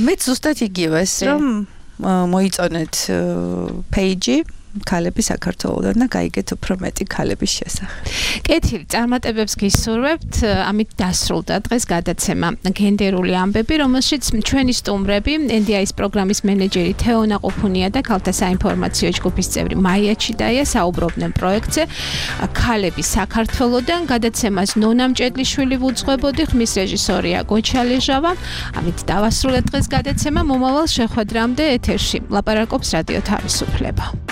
მე ზუსტად იგივეს რომ მოიწონეთ პეიჯი ქალები საქართველოდან და გაიგეთ უფრო მეტი ქალების შესახებ. კეთილი, წარმატებებს გისურვებთ. ამით დასრულდა დღეს გადაცემა გენდერული ამბები, რომელშიც ჩვენი სტუმრები, NDI-ის პროგრამის მენეჯერი თეონა ყუფუნია და ქალთა საინფორმაციო ჯგუფის წევრი მაია ჩიდაია საუბრობდნენ პროექტზე ქალები საქართველოდან. გადაცემას ნონა მჭედლიშვილი ვუძღვებოდი, ხმის რეჟისორია გოჩალეჟავა. ამით დავასრულეთ დღეს გადაცემა. მომავალ შეხვედრამდე ეთერში ლაპარაკობს რადიო თავისუფლება.